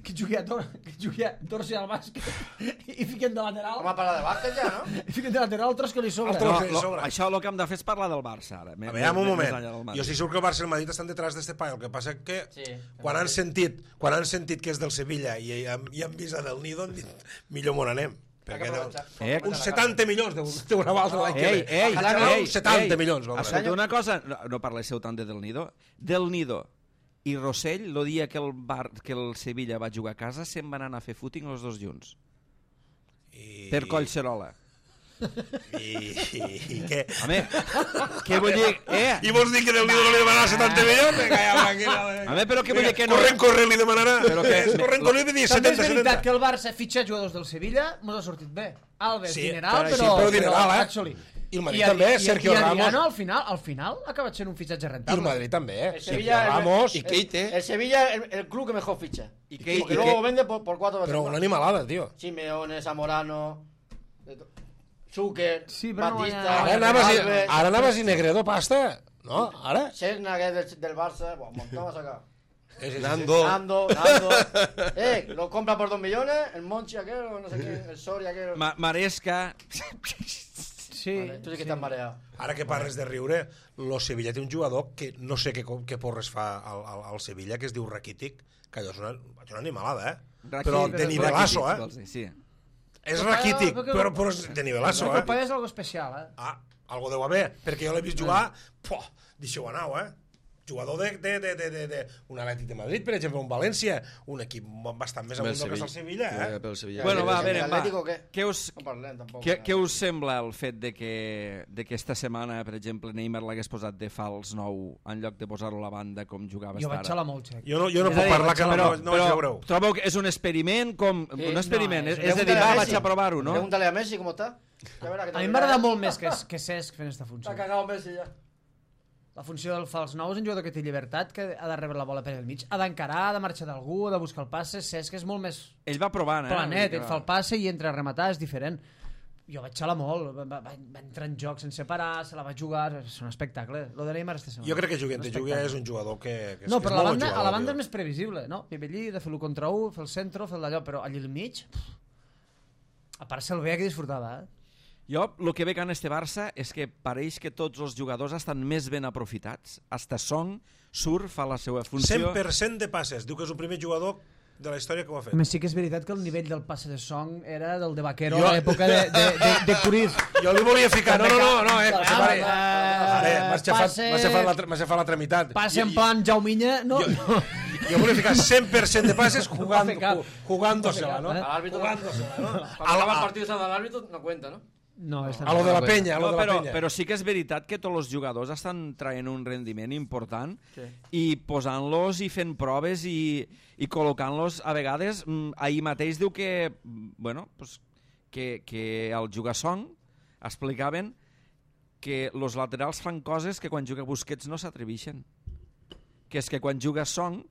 que jugui a, Tor que jugui a Torsi al bàsquet i fiquen de lateral. Home, parlar de bàsquet ja, no? I fiquen de lateral altres que li sobra. Altres No, que li lo, sobra. això el que hem de fer és parlar del Barça ara. A veure, un moment. Jo estic segur que el Barça i el Madrid estan detrás d'este pa. El que passa que Sí, quan han sentit quan han sentit que és del Sevilla i, i, i han vist a del Nido, han dit, millor m'on anem. Perquè del, Eh, uns setanta milions deurà valdre l'any que Ei, ve. ei, Ojalà ei, uns setanta ei. milions. valdrà. Escolta una cosa, no, no parléssiu tant de Del Nido. Del Nido i Rossell, el dia que el, bar, que el Sevilla va jugar a casa, se'n van anar a fer footing els dos junts. I, Per Collserola. I, i, i què? Home, què vull dir? Eh? I vols dir que del Nido no li demanarà setanta milions? Vinga, ja, tranquil·la. Home, però què vull dir que no... Corrent, corrent, li demanarà. Però que- Corrent, corrent, li dir També és setanta, veritat setanta. que el Barça fitxa jugadors del Sevilla, mos ha sortit bé. Alves, Sí, dineral, però però... així, però dineral, eh? actually. I el Madrid I també, i- Sergio i Ramos. Adriano, al final, al final ha acabat sent un fitxatge I el rentable. Madrid també, eh? El Sergio Sevilla, el- Ramos. I Keite. El Sevilla es el, el club que mejor ficha. I que- Porque i luego que- vende por, por cuatro veces Però más. una animalada, tio. Simeone, Zamorano, de to- Zucker, Sí, però no Batista, hi ha- Ara anaves, i, Alves, ara anaves i Negredo pasta, no? Ara? Serna, que es del, del Barça, bueno, un montón más acá. Sí, sí, sí. Nando. Nando, Nando. Eh, lo compra por dos millones, el Monchi aquel, o no sé qué, el Soria aquel. Ma Maresca... Sí, Vale, tú sí que estás mareado. Ara que parles de riure, lo Sevilla té un jugador que no sé què, què porres fa al, al, al Sevilla, que es diu Rakitic, que allò és una, és una animalada, eh? Però de nivelazo, eh? Sí. És Però- Rakitic, però- però, però és de nivelazo, Però que el eh? paio és algo especial, eh? Ah, algo deu haver, perquè jo l'he vist jugar, poh, deixeu anar, eh? Jugador de, de, de, de, de, de un Atlètic de Madrid, per exemple, un València, un equip bastant més amunt del que està el Sevilla, eh? Pel Sevilla. Bueno, va, a ¿El veure, va. Atlético qué? Què us, No parlem tampoc. què, què us sembla el fet de que, de que esta setmana, per exemple, Neymar l'hagués posat de fals nou en lloc de posar-lo a la banda com jugava Jo vaig ara? xalar molt, Xec. Jo no, jo no És a puc dir, parlar, que no, Però, no, no vaig però veure-ho. trobeu que és un experiment com... Sí, un experiment, no, és, és- és de dir, Pregúntale va, a vaig Messi. a provar-ho, no? Pregúntale a Messi cómo está. Ya verá que te A mi lo m'agrada dirá. molt més que, que Cesc fent aquesta funció. Está cagado Messi ya. La funció del fals nou és un jugador que té llibertat, que ha de rebre la bola per el mig, ha d'encarar, ha de marxar d'algú, ha de buscar el passe. Cesc és molt més Ell va provant, eh? planet, ell fa el passe i entra a rematar, és diferent. Jo vaig xalar molt, va, va, va entrar en joc sense parar, se la va jugar, és un espectacle. Lo de Neymar esta setmana. Jo crec que jugui Un entre jugui espectacle. és un jugador que, que, és, No, que és però a la molt bon banda, jugador, a la banda tio. és més previsible, no? Vive allí, de fer l'u contra u, fer el centre, fer d'allò, però allí al mig... pff, a part se'l veia que disfrutava, eh? Jo, el que veig en este Barça és que pareix que tots els jugadors estan més ben aprofitats. Hasta Song surt, fa la seva funció... cent per cent de passes. Diu que és el primer jugador de la història que ho ha fet. A més, sí que és veritat que el nivell del passe de Song era del de Vaquero Jo- a l'època de, de, de, de Curiz. Jo li volia ficar... No, no, no, no, eh, Ah, pare, eh, Ara, m'has xafat, passe- m'has xafat, la, tra- m'has xafat la tramitat. Passe en plan Jauminya, no? Jo, jo, jo volia ficar cent per cent de passes jugant, No va fer cap. jugándosela, no? No va fer Al árbitro. Jugándosela, no? Cuando acaba el partido se da al árbitro, no cuenta, ¿no? No, és A lo de la penya, a lo No, de la però, penya. però sí que és veritat que tots els jugadors estan traient un rendiment important Sí. i posant-los i fent proves i, i col·locant-los a vegades. mm, Ahir mateix diu que, mm, bueno, pues, que, que al jugar Song explicaven que els laterals fan coses que quan juga Busquets no s'atreveixen. Que és que quan juga Song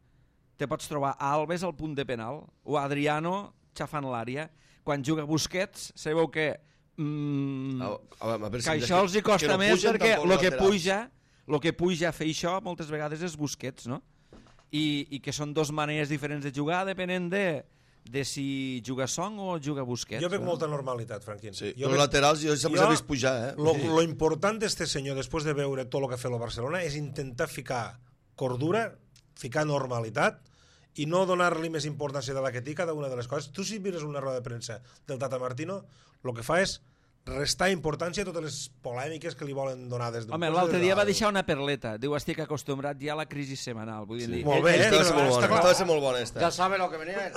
te pots trobar a Alves al punt de penal o a Adriano xafant l'àrea. Quan juga Busquets sabeu que mm, A, a, a veure si que és això els hi costa que no més pugen perquè tampoc el els que laterals. puja el que puja a fer això moltes vegades és Busquets, no? I, i que són dos maneres diferents de jugar depenent de, de si juga Song o juga Busquets. Jo veig no? molta normalitat, Franquín. Sí, jo els veig- laterals jo sempre jo- els he vist pujar, eh? Lo, lo important d'este senyor, després de veure tot el que ha fet el Barcelona, és intentar ficar cordura, ficar normalitat i no donar-li més importància de la que té cada una de les coses. Tu, si mires una roda de premsa del Tata Martino, el que fa és restar importància a totes les polèmiques que li volen donar des d'un Home, cos l'altre i des dia va d'altre. deixar una perleta. Diu, estic acostumbrat ja a la crisi setmanal. Vull dir, Molt bé, eh? Esta va ser molt Està bona, clar. esta va ser molt bona, esta. Ya sabe lo que venía él.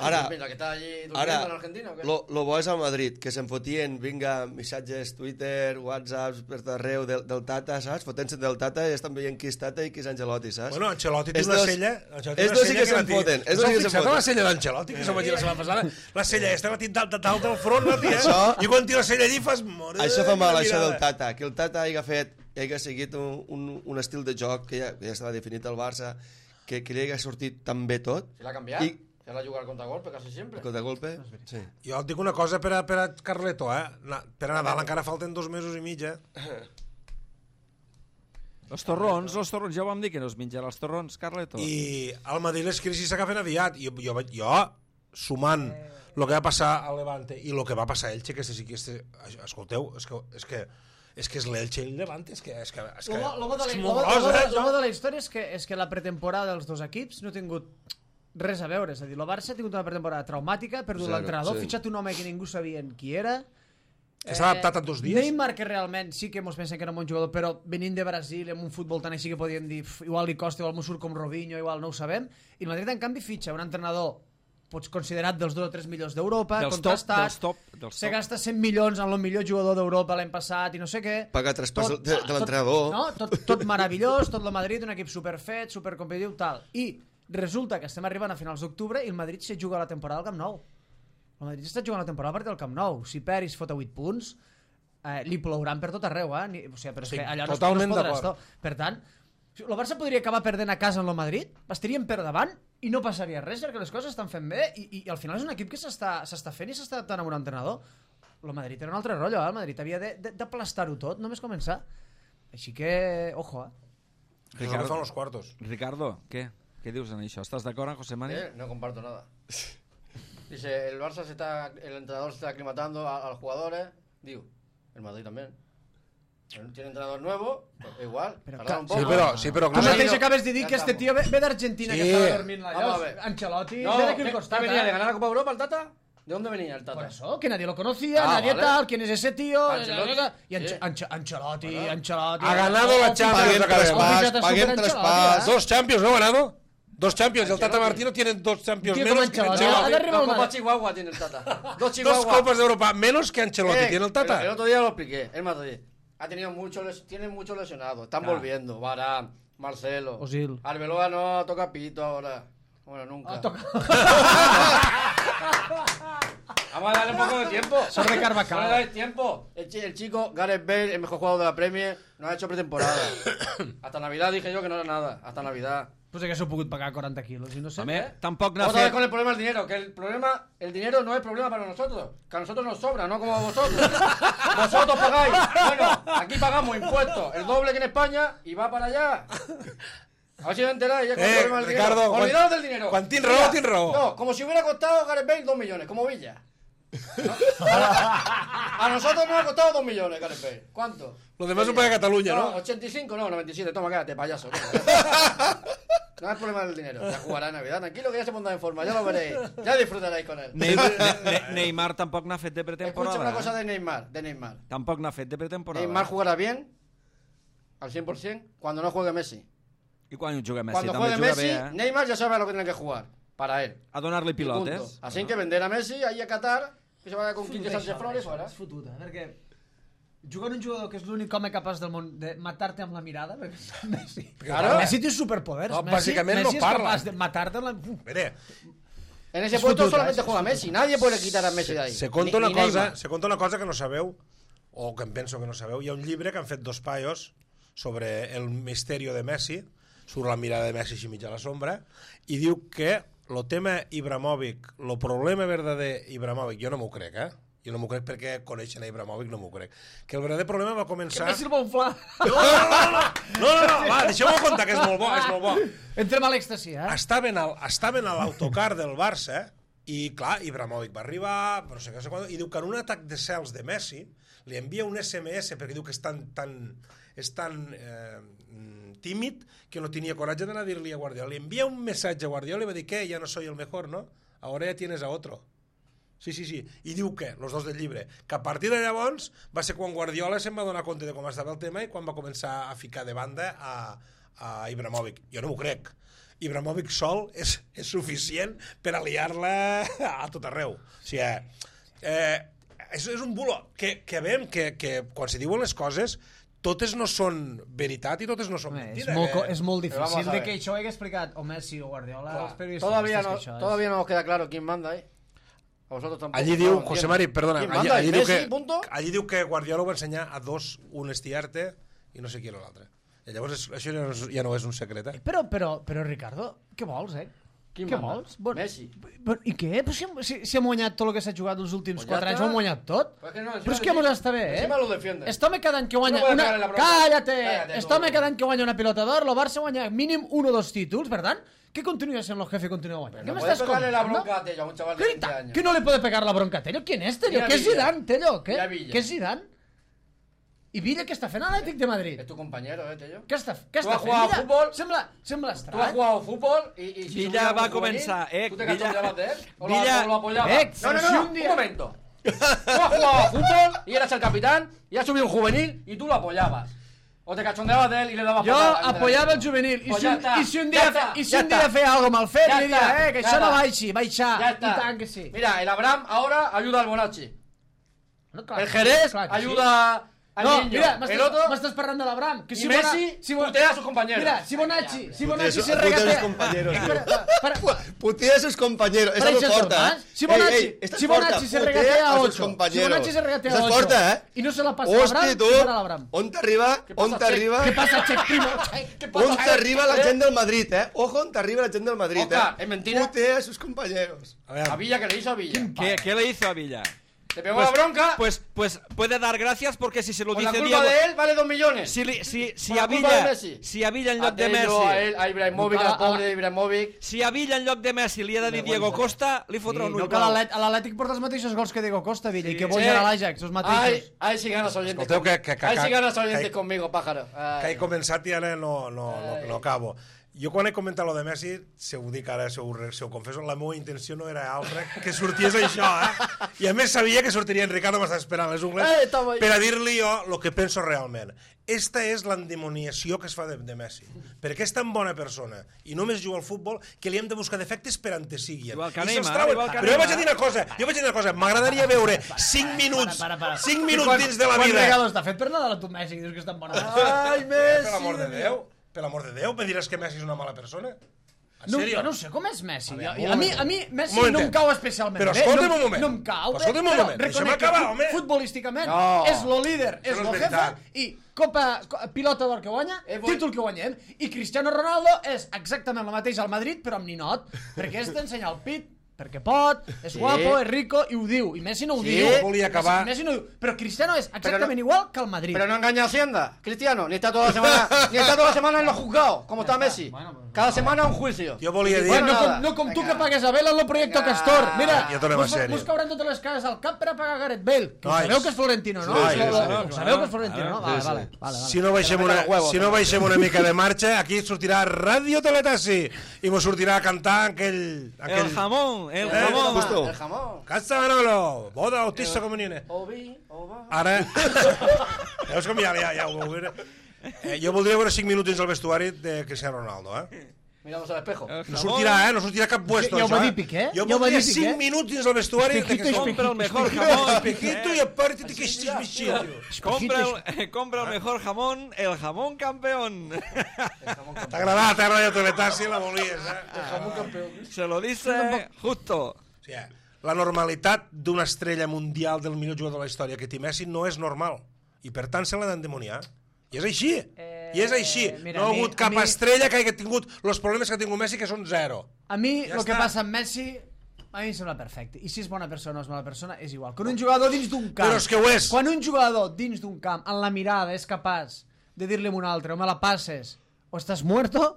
Ara, Mira, que está allí durmiendo Ara, en Argentina. ¿o qué? lo, lo bo és al Madrid, que se'n fotien, vinga, missatges, Twitter, Whatsapps, per arreu del, del Tata, saps? Fotent-se del Tata i estan veient qui és Tata i qui és Ancelotti, saps? Bueno, Ancelotti té És una dos- sella... Ancelotti té és una dos sí sella que la se'n té- foten, és Us dos heu sí que se'n fixat en foten. la sella d'Ancelotti, que se'm vaig dir la setmana passada? La sella aquesta la tinc dalt, dalt del front, la tia, Això- i quan tira la Marsella allí fas... Mare Això fa mal, de això del mirada. Tata, que el Tata hagi fet, hagi seguit un, un, un estil de joc que ja, que ja estava definit al Barça, que, que li hagi sortit tan bé tot. Se l'ha canviat. I- Se l'ha jugat al contragolpe casi sempre. Contra golpe, sí. Jo et dic una cosa per a, per a Carleto, eh? Na, per a Nadal encara falten dos mesos i mig, eh? Els torrons, els torrons, ja ho vam dir que no es menjarà els torrons, Carleto. I al Madrid les crisis s'agafen aviat. Jo, jo, vaig- jo sumant el que va passar a Levante i el que va passar a Elche, que este sí que este, escolteu, és que és que és que és l'Elche i el Levante, és que és que és que L'home de, és la- molt l'home- gros, l'home eh? de- l'home de la història és que, és que la pretemporada dels dos equips no ha tingut res a veure. És a dir, el Barça ha tingut una pretemporada traumàtica, ha perdut Zero, l'entrenador, ha sí. fitxat un home que ningú sabia qui era. Que s'ha adaptat en dos dies. Neymar, que realment sí que mos pensen que era un bon jugador, però venint de Brasil, amb un futbol tan així que podíem dir, "Uf, igual li costa, igual m'ho surt com Robinho, igual no ho sabem. I el Madrid, en canvi, fitxa un entrenador pots considerat dels dos o tres millors d'Europa, Dels top, contrastat, dels top, dels se top. gasta cent milions en el millor jugador d'Europa l'any passat i no sé què. Paga traspàs de, de l'entrenador. No? Tot, tot meravellós, tot el Madrid, un equip superfet, supercompetitiu, tal. I resulta que estem arribant a finals d'octubre i el Madrid se juga la temporada al Camp Nou. El Madrid està jugant la temporada a partir del Camp Nou. Si Peris fot a vuit punts, eh, li plouran per tot arreu, eh? Ni, o sigui, però és Sí, que allà no es, totalment no es podrà d'acord. estar. Per tant, el Barça podria acabar perdent a casa en el Madrid, estaríem per davant i no passaria res perquè les coses estan fent bé i, i, i al final és un equip que s'està s'està fent i s'està adaptant a un entrenador. El Madrid era un altre rotllo, eh? El Madrid havia de- de- d'aplastar-ho tot, només començar. Així que, ojo, eh? Que és el que fan los cuartos. Ricardo, què? Què dius en això? ¿Estás de acuerdo, José Mani? Eh, no comparto nada. Dice, el Barça se está, el entrenador se está aclimatando a, a los jugadores. Digo, el Madrid también. Tiene entrenador nuevo, pues igual. Pero tardará ca- un Sí, poco. però, sí, però Tu clar, mateix no, acabes de dir ja que este estamos. tio ve, ve d'Argentina, Sí. que estava dormint allà. Vamos a ver. Ancelotti, No, ve d'aquí al ¿qué, costat. ¿qué venía? eh? ¿De ganar la Copa Europa el Tata? ¿De dónde venía el Tata? Por eso, que nadie lo conocía, Ah, nadie vale. tal, quién es ese tío. Ancelotti. Y Anche- Sí. Anche- Ancelotti, Bueno. Ancelotti. Ha ganado la Oh, Champions, Paguem acabem. traspàs, Fíjate, paguem super traspàs. Ancelotti, Dos Champions, ¿no ha ganado? Dos Champions. Y el Tata Ancelotti. Martino tiene dos Champions Tío, menos como que Ancelotti. Ancelotti. Ha de arribar Dos una- Copas Chihuahua tiene el Tata. Dos Dos Chihuahua. Copas de Europa menos que Ancelotti Eh, tiene el El, Tata. el otro día lo expliqué, el Madrid. Ha tenido mucho, les- tiene muchos lesionados. Están volviendo. Varane, Marcelo. Ozil. Arbeloa no toca pito ahora. Bueno, nunca. Ah, toca. Vamos a darle un poco de tiempo. Son de Carvajal. Vamos a darle tiempo. El, chi- el chico, Gareth Bale, el mejor jugador de la Premier, no ha hecho pretemporada. Hasta Navidad dije yo que no era nada. Hasta Navidad. Pues que s'ho pogut pagar quaranta quilos i no sé. Home, tampoc n'ha Otra vez fet... con el problema del dinero, que el problema, el dinero no es problema para nosotros, que a nosotros nos sobra, no como a vosotros. Vosotros pagáis, bueno, aquí pagamos impuestos, el doble que en España y va para allá. A ver si os enteráis, ya con el Eh, problema del Ricardo, dinero. quan- Olvidaos del dinero. quan tin Mira, raó, tin raó. No, como si hubiera costado Gareth Bale dos millones, como Villa. ¿No? A, a nosotros nos ha costado dos millones Gareth Bale. ¿Cuánto? Lo demás lo paga Cataluña, ¿no? ochenta y cinco, no, noventa y siete. Toma, quédate, payaso. No es problema del dinero. Ya jugará en Navidad. Tranquilo que ya se pondrá en forma. Ya lo veréis. Ya disfrutaréis con él. Neymar, Ne- Ne- Neymar tampoc n'ha fet de pretemporada. Escucha una cosa eh? de Neymar. De Neymar. Tampoc n'ha fet de pretemporada. Neymar jugará bien al cien por ciento cuando no juegue Messi. I quan juga Messi? Cuando També juegue juga Messi, bé, eh? Neymar ya sabe a lo que tiene que jugar. Para él. A donar-li Y punto. pilotes. Así que vender a Messi ahí a Qatar, que se vaya con Quique Sánchez Flores fuera. És fotut, eh? Perquè jugant un jugador que és l'únic home capaç del món de matar-te amb la mirada, perquè és Messi. Claro. Messi té superpoders. No, Messi, bàsicament no Messi és parla. capaç de matar-te amb la... Uf. Mire, En ese Es puesto futut, solamente eh? juega Messi. Nadie puede quitar a Messi de ahí. se conta, Ni- una ni cosa, Neymar. se conta una cosa que no sabeu, o que em penso que no sabeu. Hi ha un llibre que han fet dos paios sobre el misterio de Messi, surt la mirada de Messi així mig a la sombra, i diu que el tema Ibrahimovic, el problema verdader Ibrahimovic, jo no m'ho crec, eh? Jo no m'ho crec perquè coneixen a Ibrahimovic, no m'ho crec. Que el verdader problema va començar... Messi el vol fla. No, no, no, no, no, no, no, va, deixeu-me contar, que és molt bo, és molt bo. Entrem a l'èxtasi, eh? Estaven, al, estaven a l'autocar del Barça i, clar, Ibrahimovic va arribar, però no sé què, no sé quan, i diu que en un atac de cels de Messi li envia un esse eme esse perquè diu que és tan, tan, és tan eh, tímid que no tenia coratge d'anar a dir-li a Guardiola. Li envia un missatge a Guardiola i va dir, què, ja no soy el mejor, no? Ahora ya tienes a otro. Sí, sí, sí. I diu que, los dos del llibre, que a partir de llavors va ser quan Guardiola se'n va donar compte de com estava el tema i quan va començar a ficar de banda a, a Ibrahimovic. Jo no m'ho crec. Ibrahimovic sol és, és suficient per aliar-la a tot arreu. O sigui, eh, és, és un bulo que, que veiem que, que quan se diuen les coses totes no són veritat i totes no són Home, és, mentida. molt, co- que... és molt Però vamos difícil a de ver. que això ho hagués explicat o Messi o Guardiola als periodistes. Todavía és que no, això és- todavía no nos queda claro quién manda ahí. A vosotros tampoco. Allí No, diu, entiendo. José Mari, perdona, ¿Quién allí, manda? allí, diu Messi, que, punto? allí diu que Guardiola va ensenyar a dos un estiarte i no sé qui era l'altre. I llavors és, això ja no, és, ja no és un secret, eh? Però, però, però, Ricardo, què vols, eh? Qui Què manda? vols? Bon, Messi. bon, I què? Però si, si, si hem guanyat tot el que s'ha jugat els últims Pues ya quatre anys, está. ho hem guanyat tot. Pues que no, encima Però és que encima- mos està bé, eh? encima lo defiende. Este home cada any que guanya... No puedes una... pegarle la bronca. Cállate! Cállate, Este tú. home cada any que guanya una pilota d'or, el Barça guanya mínim un o dos títols, per tant, que continua sent el jefe i continua guanyant. No ¿Qué me puedes estás pegarle la contando? bronca a Tello, a un chaval de ¿Qué, veinte ta- años. ¿Qué no le puede pegar la bronca a Tello? ¿Quién es Tello? Mira ¿Qué es Villa. Zidane, Tello? ¿Qué? Mira Villa. ¿Qué es Zidane? I Villa què està fent a l'Atlètic de Madrid? Es tu compañero, eh, Tello. Què està, què Tu està has fent? jugado Mira, fútbol? Sembla, sembla Tú has estrany. jugado fútbol y, y si Villa subía va un juvenil, comenzar, eh, ¿tú te Villa- cachondeabas de él? ¿O lo- Villa- o lo apoyabas? Eh, no, no, si no, un un, día- momento. Tú has jugado a fútbol y eras el capitán y has subido un juvenil y tú lo apoyabas. O te cachondeabas de él y le dabas Jo patadas. apoyava el juvenil i Pues si, ja un, està, i si un ja dia, està, i si ja un dia està. feia algo mal fet, Ya li diria, está, eh, que ya això no está. baixi, baixar, Ya está. i tant que sí. Mira, el Abraham ahora ayuda al Bonachi. No, clar, El Jerez clar que sí. ayuda al No, niño. mira, el m'estàs otro... m'estàs parlant de l'Abraham. Que Y si Messi Bona- si Bo- putea a sus compañeros. Mira, si Bonacci, si Putea Bonacci su- se putea a sus regatea... compañeros, Espera, tío. para, para, Putea a sus compañeros. Esa Pareix no el porta, Tomàs. ¿eh? Si Bonacci, Ey, ey, esta si es porta. Bonacci se Putea regatea a sus ocho, si compañeros. Bonacci se regatea Esa a es ocho, porta, ¿eh? i no se la passa a Hosti, l'Abraham, tu, què farà l'Abraham? on t'arriba, Què passa, on t'arriba, Què passa, Check Primo? Què on passa? t'arriba la Eh? gent del Madrid, eh? Ojo, on t'arriba la gent del Madrid, Oscar, eh? ¿es mentira? Putea a sus compañeros. A veure, A Villa, que le hizo a Villa. ¿Qué, ¿Qué le hizo a Villa? Te pegó Pues, la bronca. pues, pues puede dar gracias porque si se lo por la dice culpa Diego... de él vale dos millones. Si, li- si, si, Por la a culpa de Villa, Messi. si a Villa en a lloc de Tello, a él, Messi... a Ibrahimovic, No cal- al pobre de Ibrahimovic. Si a Villa en lloc de Messi li ha de dir Diego Costa, li fotrà un no, ull que blau. l'Atlètic- a l'Atlètic porta els mateixos gols que Diego Costa, Villa, i que vol Sí. anar a l'Ajax, els Ay, mateixos. ay, si ganas oyentes. Escolteu con- que- que- que- Ay, si que- ganas oyentes que- conmigo, pájaro. que Ay. he començat i ara no, no, no, no acabo. Jo quan he comentat lo de Messi, se ho dic ara, se ho, se ho confesso, la meva intenció no era altra que sorties això, eh? I a més sabia que sortiria en Ricardo, m'estava esperant les ungles, Eh, estava ahí. per a dir-li jo el que penso realment. Esta és l'endemoniació que es fa de, de Messi. Perquè és tan bona persona i només juga al futbol que li hem de buscar defectes per on te siguin. Igual que I se'ls Neymar, trauen. igual que Però jo vaig a Neymar. dir una cosa, jo vaig a dir una cosa, m'agradaria veure cinc minuts, Para, para, para. cinc I minuts quan- dins de la quan vida. regalos t'ha fet per Nadal a tu Messi, que dius que és tan bona. Ay, Per Messi. l'amor de Déu, per l'amor de Déu, me diràs que Messi és una mala persona? En No, sèrio? jo no sé com és Messi. A Jo, veure, a, un mi, moment. a mi Messi Un no em momentet. cau especialment Però bé. escolta'm no, un moment. No em cau Però bé, escolta'm un però moment, deixa'm reconec que acabar, fut- home. futbolísticament No. és lo líder, és Això no lo és jefe, veritat. i copa, co- pilota d'or que guanya, Eh, vull- títol que guanyem, i Cristiano Ronaldo és exactament el mateix al Madrid, però amb ninot, perquè és d'ensenyar el pit, perquè pot, és Sí. guapo, és rico, i ho diu, i Messi no ho Sí. diu. Volia acabar- Messi no ho diu, però Cristiano és exactament no- igual que el Madrid. Pero no engaña a Hacienda, Cristiano, ni está toda la semana, ni está toda la semana en los juzgados, como está Messi. Bueno, pues, Cada semana un juicio. Jo volia dir... Bueno, no, nada. com, no com tu Venga. que pagues a Bale en el Proyecto Venga. Castor. Mira, Ja tornem a mos, sèrio. mos cauran totes les cases al cap per a pagar Gareth Bale. Que ho Ai, sabeu que és florentino, no? sí, Ho sí, sabeu- sí, ho clar. sabeu que és florentino, no? Sí, Vale, sí. vale, vale, vale. Si no baixem Que no una, meta los huevos, si no també. baixem una mica de marxa, aquí sortirà Radio Teletassi i mos sortirà a cantar aquell... aquell... El jamón, el Eh, jamón. justo. El jamón. Casa Manolo, boda autista com niene. Ovi, ova. Ara... Veus com ja, ja, ja ho veu veure? Eh, jo voldria veure cinc minuts dins el vestuari de Cristiano Ronaldo, eh? Miramos al espejo. El No jamón. sortirà, eh? No sortirà cap puesto, Ja ho això, va eh? dir Piqué, Jo ja ho va voldria dir Piqué. cinc minuts dins el vestuari de Espejito, Cristiano Compra el mejor Ronaldo. jamón. Espejito i aparte que estis vestido. Compra el, compra el mejor jamón, el jamón campeón. T'ha agradat, eh, Radio Teletassi, la volies, eh? Se lo dice justo. O sigui, la normalitat d'una estrella mundial del millor jugador de la història que té Messi no és normal. I per tant se l'ha d'endemoniar. I és així. Eh, I és així. mira, no ha a mi- hagut a cap mi- estrella que hagi tingut els problemes que ha tingut Messi, que són zero. A mi, Ja el que està. passa amb Messi, a mi em sembla perfecte. I si és bona persona o és mala persona, és igual. Quan un jugador dins d'un camp... Però és que ho és. Quan un jugador dins d'un camp, en la mirada, és capaç de dir-li a un altre, o me la passes, o estàs muerto,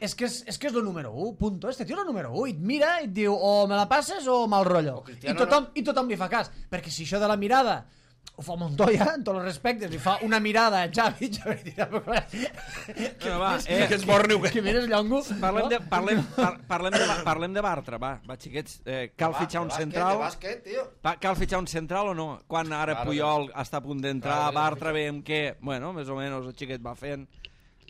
és que és, és que és lo número u, punto. Este tio és lo número u, i et mira i et diu o me la passes o mal rotllo. O Cristiano I tothom, I tothom li fa cas, perquè si això de la mirada ho fa Montoya, en tots els respectes, li fa una mirada a Xavi, Xavi dirà, però clar, que, Bueno, va, mires- eh, que ets borni, que mires llongo. Parlem de, no? parlem, par, parlem de, parlem de Bartra, va, va xiquets, eh, cal Va, fitxar de un bàsquet, central, de bàsquet, tio. pa- cal fitxar un central o no? Quan ara Claro, Puyol està a punt d'entrar, Claro, Bartra veiem que, bueno, més o menys el xiquet va fent,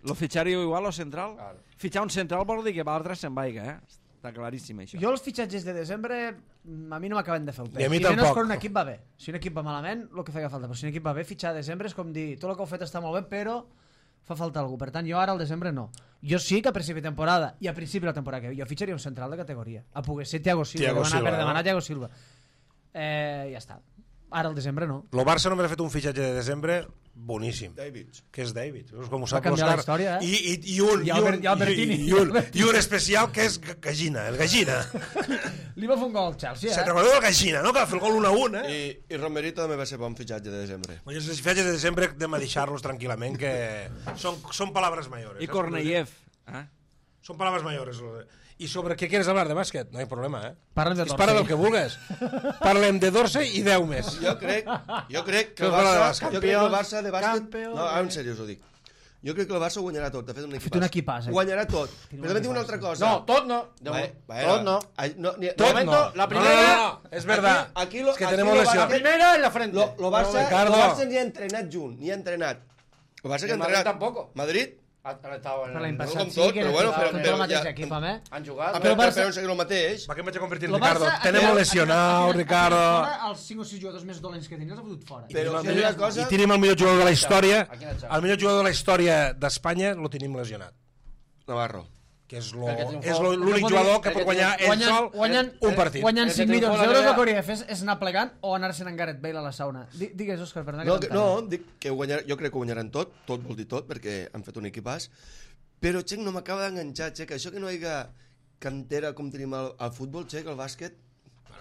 lo fitxaríeu igual o central? Claro. Fitxar un central vol dir que Bartra se'n vaiga, eh? Està claríssim això. Jo els fitxatges de desembre mm, a mi no m'acaben de fer el pes. I a mi I menys tampoc. quan un equip va bé. Si un equip va malament, el que feia falta. Però si un equip va bé, fitxar a desembre és com dir tot el que heu fet està molt bé, però fa falta algú. Per tant, jo ara al desembre no. Jo sí que a principi de temporada i a principi de la temporada que ve, jo fitxaria un central de categoria. A poder ser Thiago Silva, Thiago demanar, Silva, per no? demanar Thiago Silva. Eh, ja està. Ara al desembre no. El Barça només ha fet un fitxatge de desembre boníssim. David. Que és David. Com ho Va sap canviar l'Òscar. la història, eh? I, i, i, un, I i, Albert- un, i Albertini. i, i, un, I un especial que és Gallina, el Gallina. Li va fer un gol al Chelsea, Se'n eh? recordeu del Gallina, no? Que va fer el gol un a un, eh? I, I Romerito també va ser bon fitxatge de desembre. I els fitxatges de desembre hem de deixar-los tranquil·lament, que són, són paraules mayores. I saps? Korneyev. Eh? Són paraules mayores. I sobre què quieres hablar de bàsquet? No hi ha problema, eh? Parlem de Es Dorsey. parla del que vulguis. Parlem de Dorsey i deu més. Jo crec, jo crec que Que el us parla de Barça, bàsquet. jo crec que el Barça de bàsquet... Campió No, de- en sèrio us ho dic. Jo crec que el Barça ho guanyarà tot. De fet, un equipàs. fet un equipàs, eh? Guanyarà tot. Però també tinc una altra cosa. No, tot no. De Vale, moment, vale, tot no. Ay, no, ni- Tot de momento, no. la primera- No, no, no, és verdad. Aquí, aquí lo, Es que aquí tenemos lo lesión. La Barça- primera en la frente. Lo, lo Barça, Ricardo. lo Barça ni ha entrenat junt, ni ha entrenat. El Barça que ha El Madrid entrenat... tampoco. Madrid? Han estado en Per l'any el- passat com sí tot, que però era bueno, tot, però- tot però el mateix ja- equip, home. Han jugat. Ah, Però però, el Barça- però, però, el mateix. Va que em vaig a convertir en El Ricardo. Barça- Tenemos el- lesionado, el- Ricardo. Fora, els cinc o sis jugadors més dolents que tenia els ha fotut fora. Però si I, una cosa... I tenim el millor jugador de la història. Aquí en el xat. El millor jugador de la història d'Espanya lo tenim lesionat. Navarro. Que és lo- El que triomfó. és lo- l'únic El que jugador que el pot que guanyar ell Guanyen, sol guanyen, un partit. guanyen El que cinc triomfó milions la d'euros Liga- el que hauria de fer és anar plegant o anar-se'n en Gareth Bale a la sauna. Di- Digues, Òscar, perdona. No, que que, t'entalla. no, dic que guanyar, jo crec que guanyaran tot, tot vol dir tot, perquè han fet un equipàs, però, Xec, no m'acaba d'enganxar, Xec, això que no hi ha cantera com tenim al, al futbol, Xec, al bàsquet,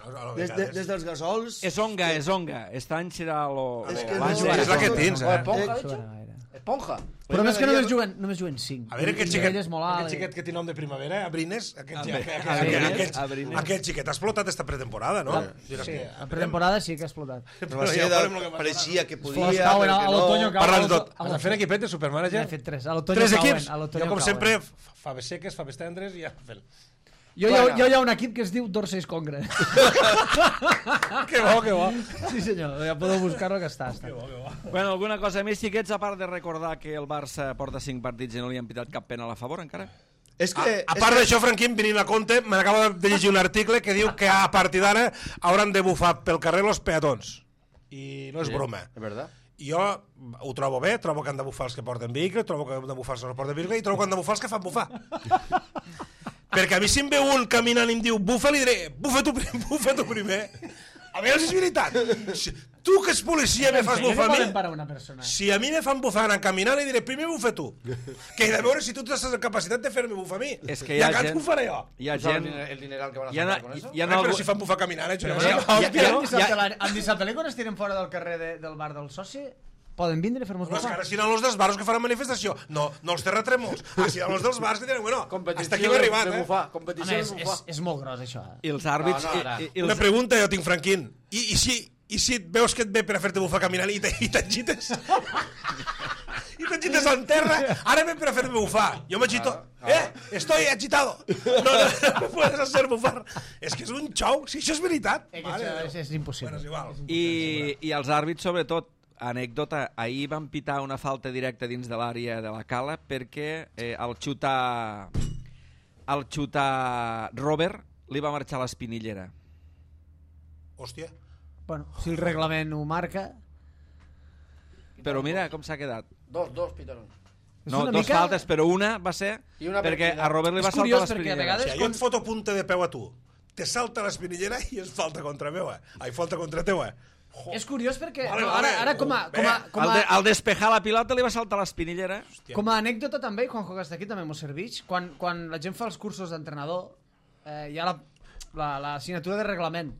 Bueno, a des, de, vegades. des dels gasols... És onga, és onga. Este any serà lo... És lo que base. no- És la que tens, O eh? esponja, Eh, dicho. Suena gaire. Esponja. Però més que m'agradaria- només juguen, només juguen cinc. A veure, aquest I xiquet, ell és molt alt. aquest xiquet que té nom de primavera, Abrines, aquest, Abre- aquest, aquest, Abrines, aquest, Abrines. aquest xiquet ha explotat esta pretemporada, no? Diràs Sí, que- la pretemporada sí que ha explotat. Però va Però ser ja de, veurem lo que passarà. pareixia que podia, Flors cauen però a que l'otoño, no... cauen. Parlant de tot. a Has de fer un equipet de Supermanager? N'he fet tres. A l'otoño Tres cauen, equips? a l'otoño Jo, com cauen. sempre, faves seques, faves tendres i ja fent. Jo, hi ha, jo hi ha un equip que es diu Dorseys Congre. Que bo, que bo. Sí, senyor, ja podeu buscar-lo que està. està. Bueno, alguna cosa més, xiquets, a part de recordar que el Barça porta cinc partits i no li han pitat cap penal a favor encara? És que... A, a és part que- d'això, Franquín, venint a compte, me n'acabo de llegir un article que diu que a partir d'ara hauran de bufar pel carrer los peatons. I no és broma. Es verdad. Jo ho trobo bé, trobo que han de bufar els que porten vehicle, trobo que han de bufar els que no porten vehicle i trobo que han de bufar els que fan bufar. Perquè a mi si em ve un caminant i em diu bufa, li diré, bufa tu, prim- bufa tu primer. A veure si és veritat. Si, tu que ets policia me fas Què bufar a poden mi? parar una persona? Si a mi me fan bufar anant caminant, li diré, primer bufa tu. Que he de veure si tu tens la capacitat de fer-me bufar a mi. És que hi I ha a gent- Cants bufaré jo. Hi ha ¿Tú sabes gent... el diner- el dineral que van a Hi ha, sacar con eso? hi ha, Ai, però algú- si fan bufar caminant, eh? Però Sí, bueno, hòstia, i, i, no? en dissabte, la- en dissabte quan es tiren fora del carrer de, del bar del soci, poden vindre a fer-nos No, és que bufar. ara seran els dels bars que faran manifestació. No, no els terratrèmols. Ah, seran els dels bars que diran, bueno, Competició hasta aquí hem arribat, de eh? bufar. Home, Competició és, de és, bufar. és molt gros, això. Eh? I els àrbits... No, no, ara. i, i, i Una els, pregunta jo tinc, Franquín. I, i, si, I si et veus que et ve per a fer-te bufar caminant i te- i t'agites? I t'agites en terra? Ara ve per a fer-me bufar. Jo m'agito. Eh? Estoy agitado. No, no, no me puedes hacer bufar. És que és un xou. Si això és veritat. Eh, que Mare això de és, Déu. és impossible. Bueno, és igual. I, I els àrbits, sobretot, anècdota, ahir van pitar una falta directa dins de l'àrea de la cala perquè eh, al xutar al xutar Robert li va marxar l'espinillera. Hòstia. Bueno, si el reglament ho marca... Però mira com s'ha quedat. Dos, dos pitaron. És No, una dos mica- faltes, però una va ser I una perquè per a Robert li És va saltar curiós perquè a l'espinillera. vegades- Si jo et foto punta de peu a tu, te salta l'espinillera i és falta contra meu, eh? Ai, falta contra teu, eh? És curiós perquè Vale, no, vale. ara, ara com, a, com, a, com, Al, a, de, al despejar la pilota li va saltar l'espinillera. com a anècdota també, i quan jugues d'aquí també m'ho serveix, quan, quan la gent fa els cursos d'entrenador, eh, hi ha la, la, la assignatura de reglament,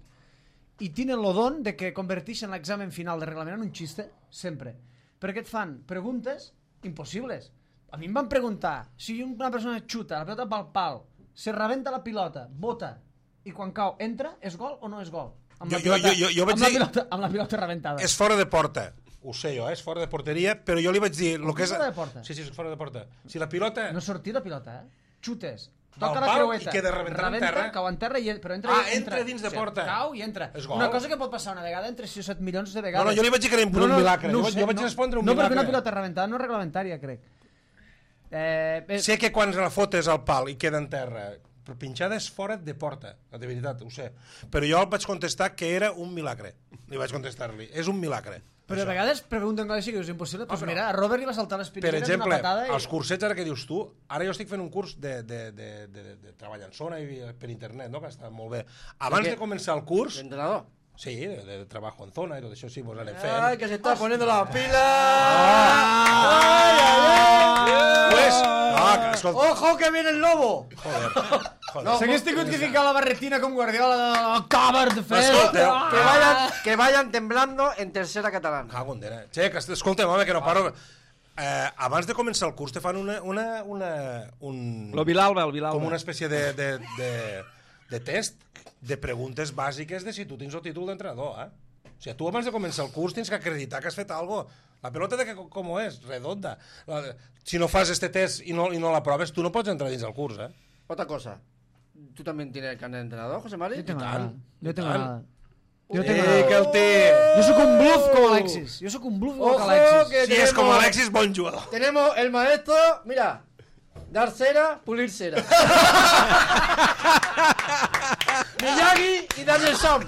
i tenen el don de que converteixen l'examen final de reglament en un xiste, sempre. Perquè et fan preguntes impossibles. A mi em van preguntar, si una persona xuta la pilota pel pal, se rebenta la pilota, bota, i quan cau, entra, és gol o no és gol? Amb la Jo- jo- pilota, jo- jo vaig amb la dir- pilota, amb la pilota rebentada. És fora de porta. Ho sé jo, eh? És fora de porteria, però jo li vaig dir... Lo Com que és... fora de porta? Sí, sí, és fora de porta. Si la pilota... No sortir la pilota, eh? Xutes. Del Toca la pal creueta. i queda rebentant en terra. Cau en terra, i, però entra, Ah, entra dins de porta. Cau i entra. És gol. Una cosa que pot passar una vegada entre sis o set milions de No, vegades. no, jo li vaig dir que era un milagre. ho Jo vaig- sé, jo vaig respondre un no, milagre. No, perquè una pilota rebentada no és reglamentària, crec. Eh, eh, Sé que quan la fotes al pal i queda en terra, però pinxada és fora de porta, de veritat, ho sé. Però jo el vaig contestar que era un milagre. Li vaig contestar-li, és un milagre. però a vegades pregunten coses que és impossible. Doncs però- mira, a Robert li va saltar Per l'espinillera exemple, d'una patada i... els cursets ara que dius tu, ara jo estic fent un curs de, de, de, de, de, de treball en zona i per internet, no? Que està molt bé. Abans què? de començar el curs, ¿El entrenador? Sí, de, de trabajo en zona y todo eso sí, pues anem fent. Ay, que se está poniendo las pilas. Ay, ay, ay. Pues, no, que, escolta, ¡Ojo que viene el lobo! joder, joder. No, S'hagués tingut que ficar la barretina com Guardiola de October de fer. Escolta, Que vayan, que vayan temblando en tercera catalana. Cago en dena. Che, que escolta'm, home, que no paro... Eh, abans de començar el curs te fan una... una, una un, Lo Vilalba, el Vilalba. com una espècie de, de, de, de test de preguntes bàsiques de si tu tens el títol d'entrenador, eh? O sigui, tu abans de començar el curs tens que acreditar que has fet algo. La pelota de que, com és? Redonda. La, si no fas este test i no, i no l'aproves, tu no pots entrar dins el curs, eh? Otra cosa. ¿Tú también tienes carnet de entrenador, José Mari? Jo tengo tant, nada. Jo tengo tant. nada. Jo Eh, tengo que nada. el té... Jo sóc un bluff com Alexis. Jo sóc un bluff com Ojo, Alexis. que Si és com tenemos- Alexis, bon jugador. Tenemos el maestro, mira, dar cera, pulir cera. Miyagi y Daniel Sam.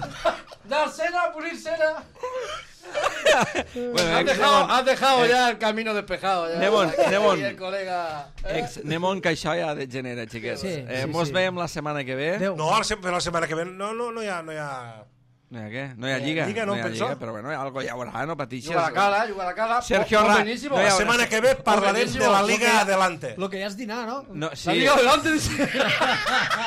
Dar cera, pulir cera. Bueno, Has ex dejado, Nemon, has dejado ya el camino despejado. Ya. Nemon, Aquí Nemon. el colega. ¿eh? ex Nemon, que això ja degenera, xiquets. Sí, eh, sí, mos sí. veiem la setmana que ve. Adéu. No, la, se- la setmana que ve no, no, no hi ha... No hi ha... No hi ha què? No hi ha No hi ha lliga. lliga, no, hi ha penso. lliga, però bueno, algo hi haurà, no patixes. Juga la cara, juga la cara. Sergio Pues Ra- buenísimo. no hi La haurà- setmana que ve parlarem buenísimo, de la lo Liga que- Adelante. Lo que ja és dinar, no? No, La sí. liga adelante, dice.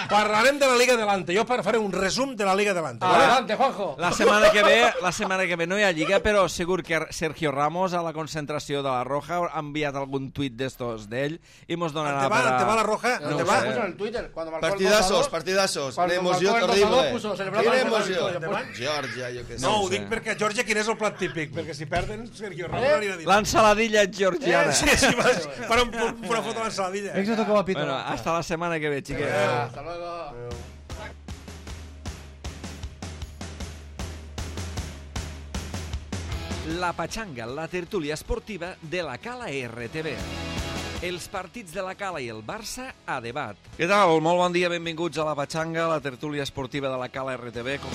Parlarem de la Liga Adelante. Jo faré un resum de la Liga Adelante. ¿vale? Adelante, Juanjo. La setmana que ve, la setmana que ve no hi ha lliga, però segur que Sergio Ramos a la concentració de la Roja ha enviat algun tuit d'estos d'ell i mos donarà Ante va, per a... ante va la Roja, No, ante lo va. puso en el Twitter. Cuando marcó el Partidazos, dos a dos. partidazos. Cuando Una emoció marcó el dos a dos, terrible. puso, celebrando Quina el gol de emoció. victoria. Geòrgia, jo què sé. No, ho sé. dic perquè, Georgia, quin és el plat típic? Perquè si perden, Sergio Ramos Eh? no anirà a dir. L'ensaladilla georgiana. Sí, sí, vas, para un, una foto a l'ensaladilla. Veig que tocava a pito. Bueno, hasta la setmana que ve, xiquets. Hasta luego. La Pachanga, la tertúlia esportiva de la Cala R T V. Els partits de la Cala i el Barça a debat. Què tal? Molt bon dia, benvinguts a la Pachanga, la tertúlia esportiva de la Cala R T V. Com...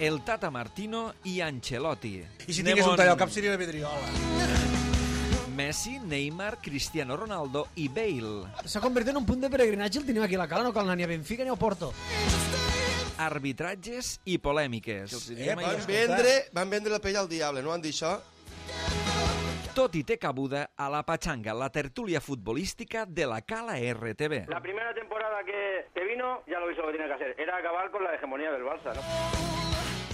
El Tata Martino i Ancelotti. I si tingués un tall al cap seria la vidriola. Messi, Neymar, Cristiano Ronaldo i Bale. S'ha convertit en un punt de peregrinatge el tenim aquí a la Cala, no cal anar ni a Benfica ni a Porto. Arbitratges i polèmiques. Eh, Van escolta. vendre, van vendre la pell al diable, no van dir això? Tot i té cabuda a la Pachanga, la tertúlia futbolística de la Cala R T V. La primera temporada que, que vino ya lo hizo lo que tenía que hacer. Era acabar con la hegemonía del Barça, ¿no?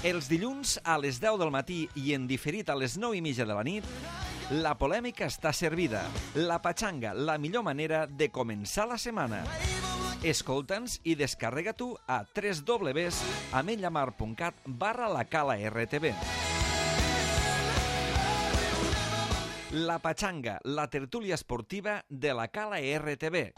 Els dilluns a les deu del matí i en diferit a les nou i mitja de la nit, la polèmica està servida. La Pachanga, la millor manera de començar la setmana. Escolta'ns i descarrega-t'ho a w w w punt ametlllamar punt cat barra la Cala R T V. La Pachanga, la tertúlia esportiva de la Cala R T V.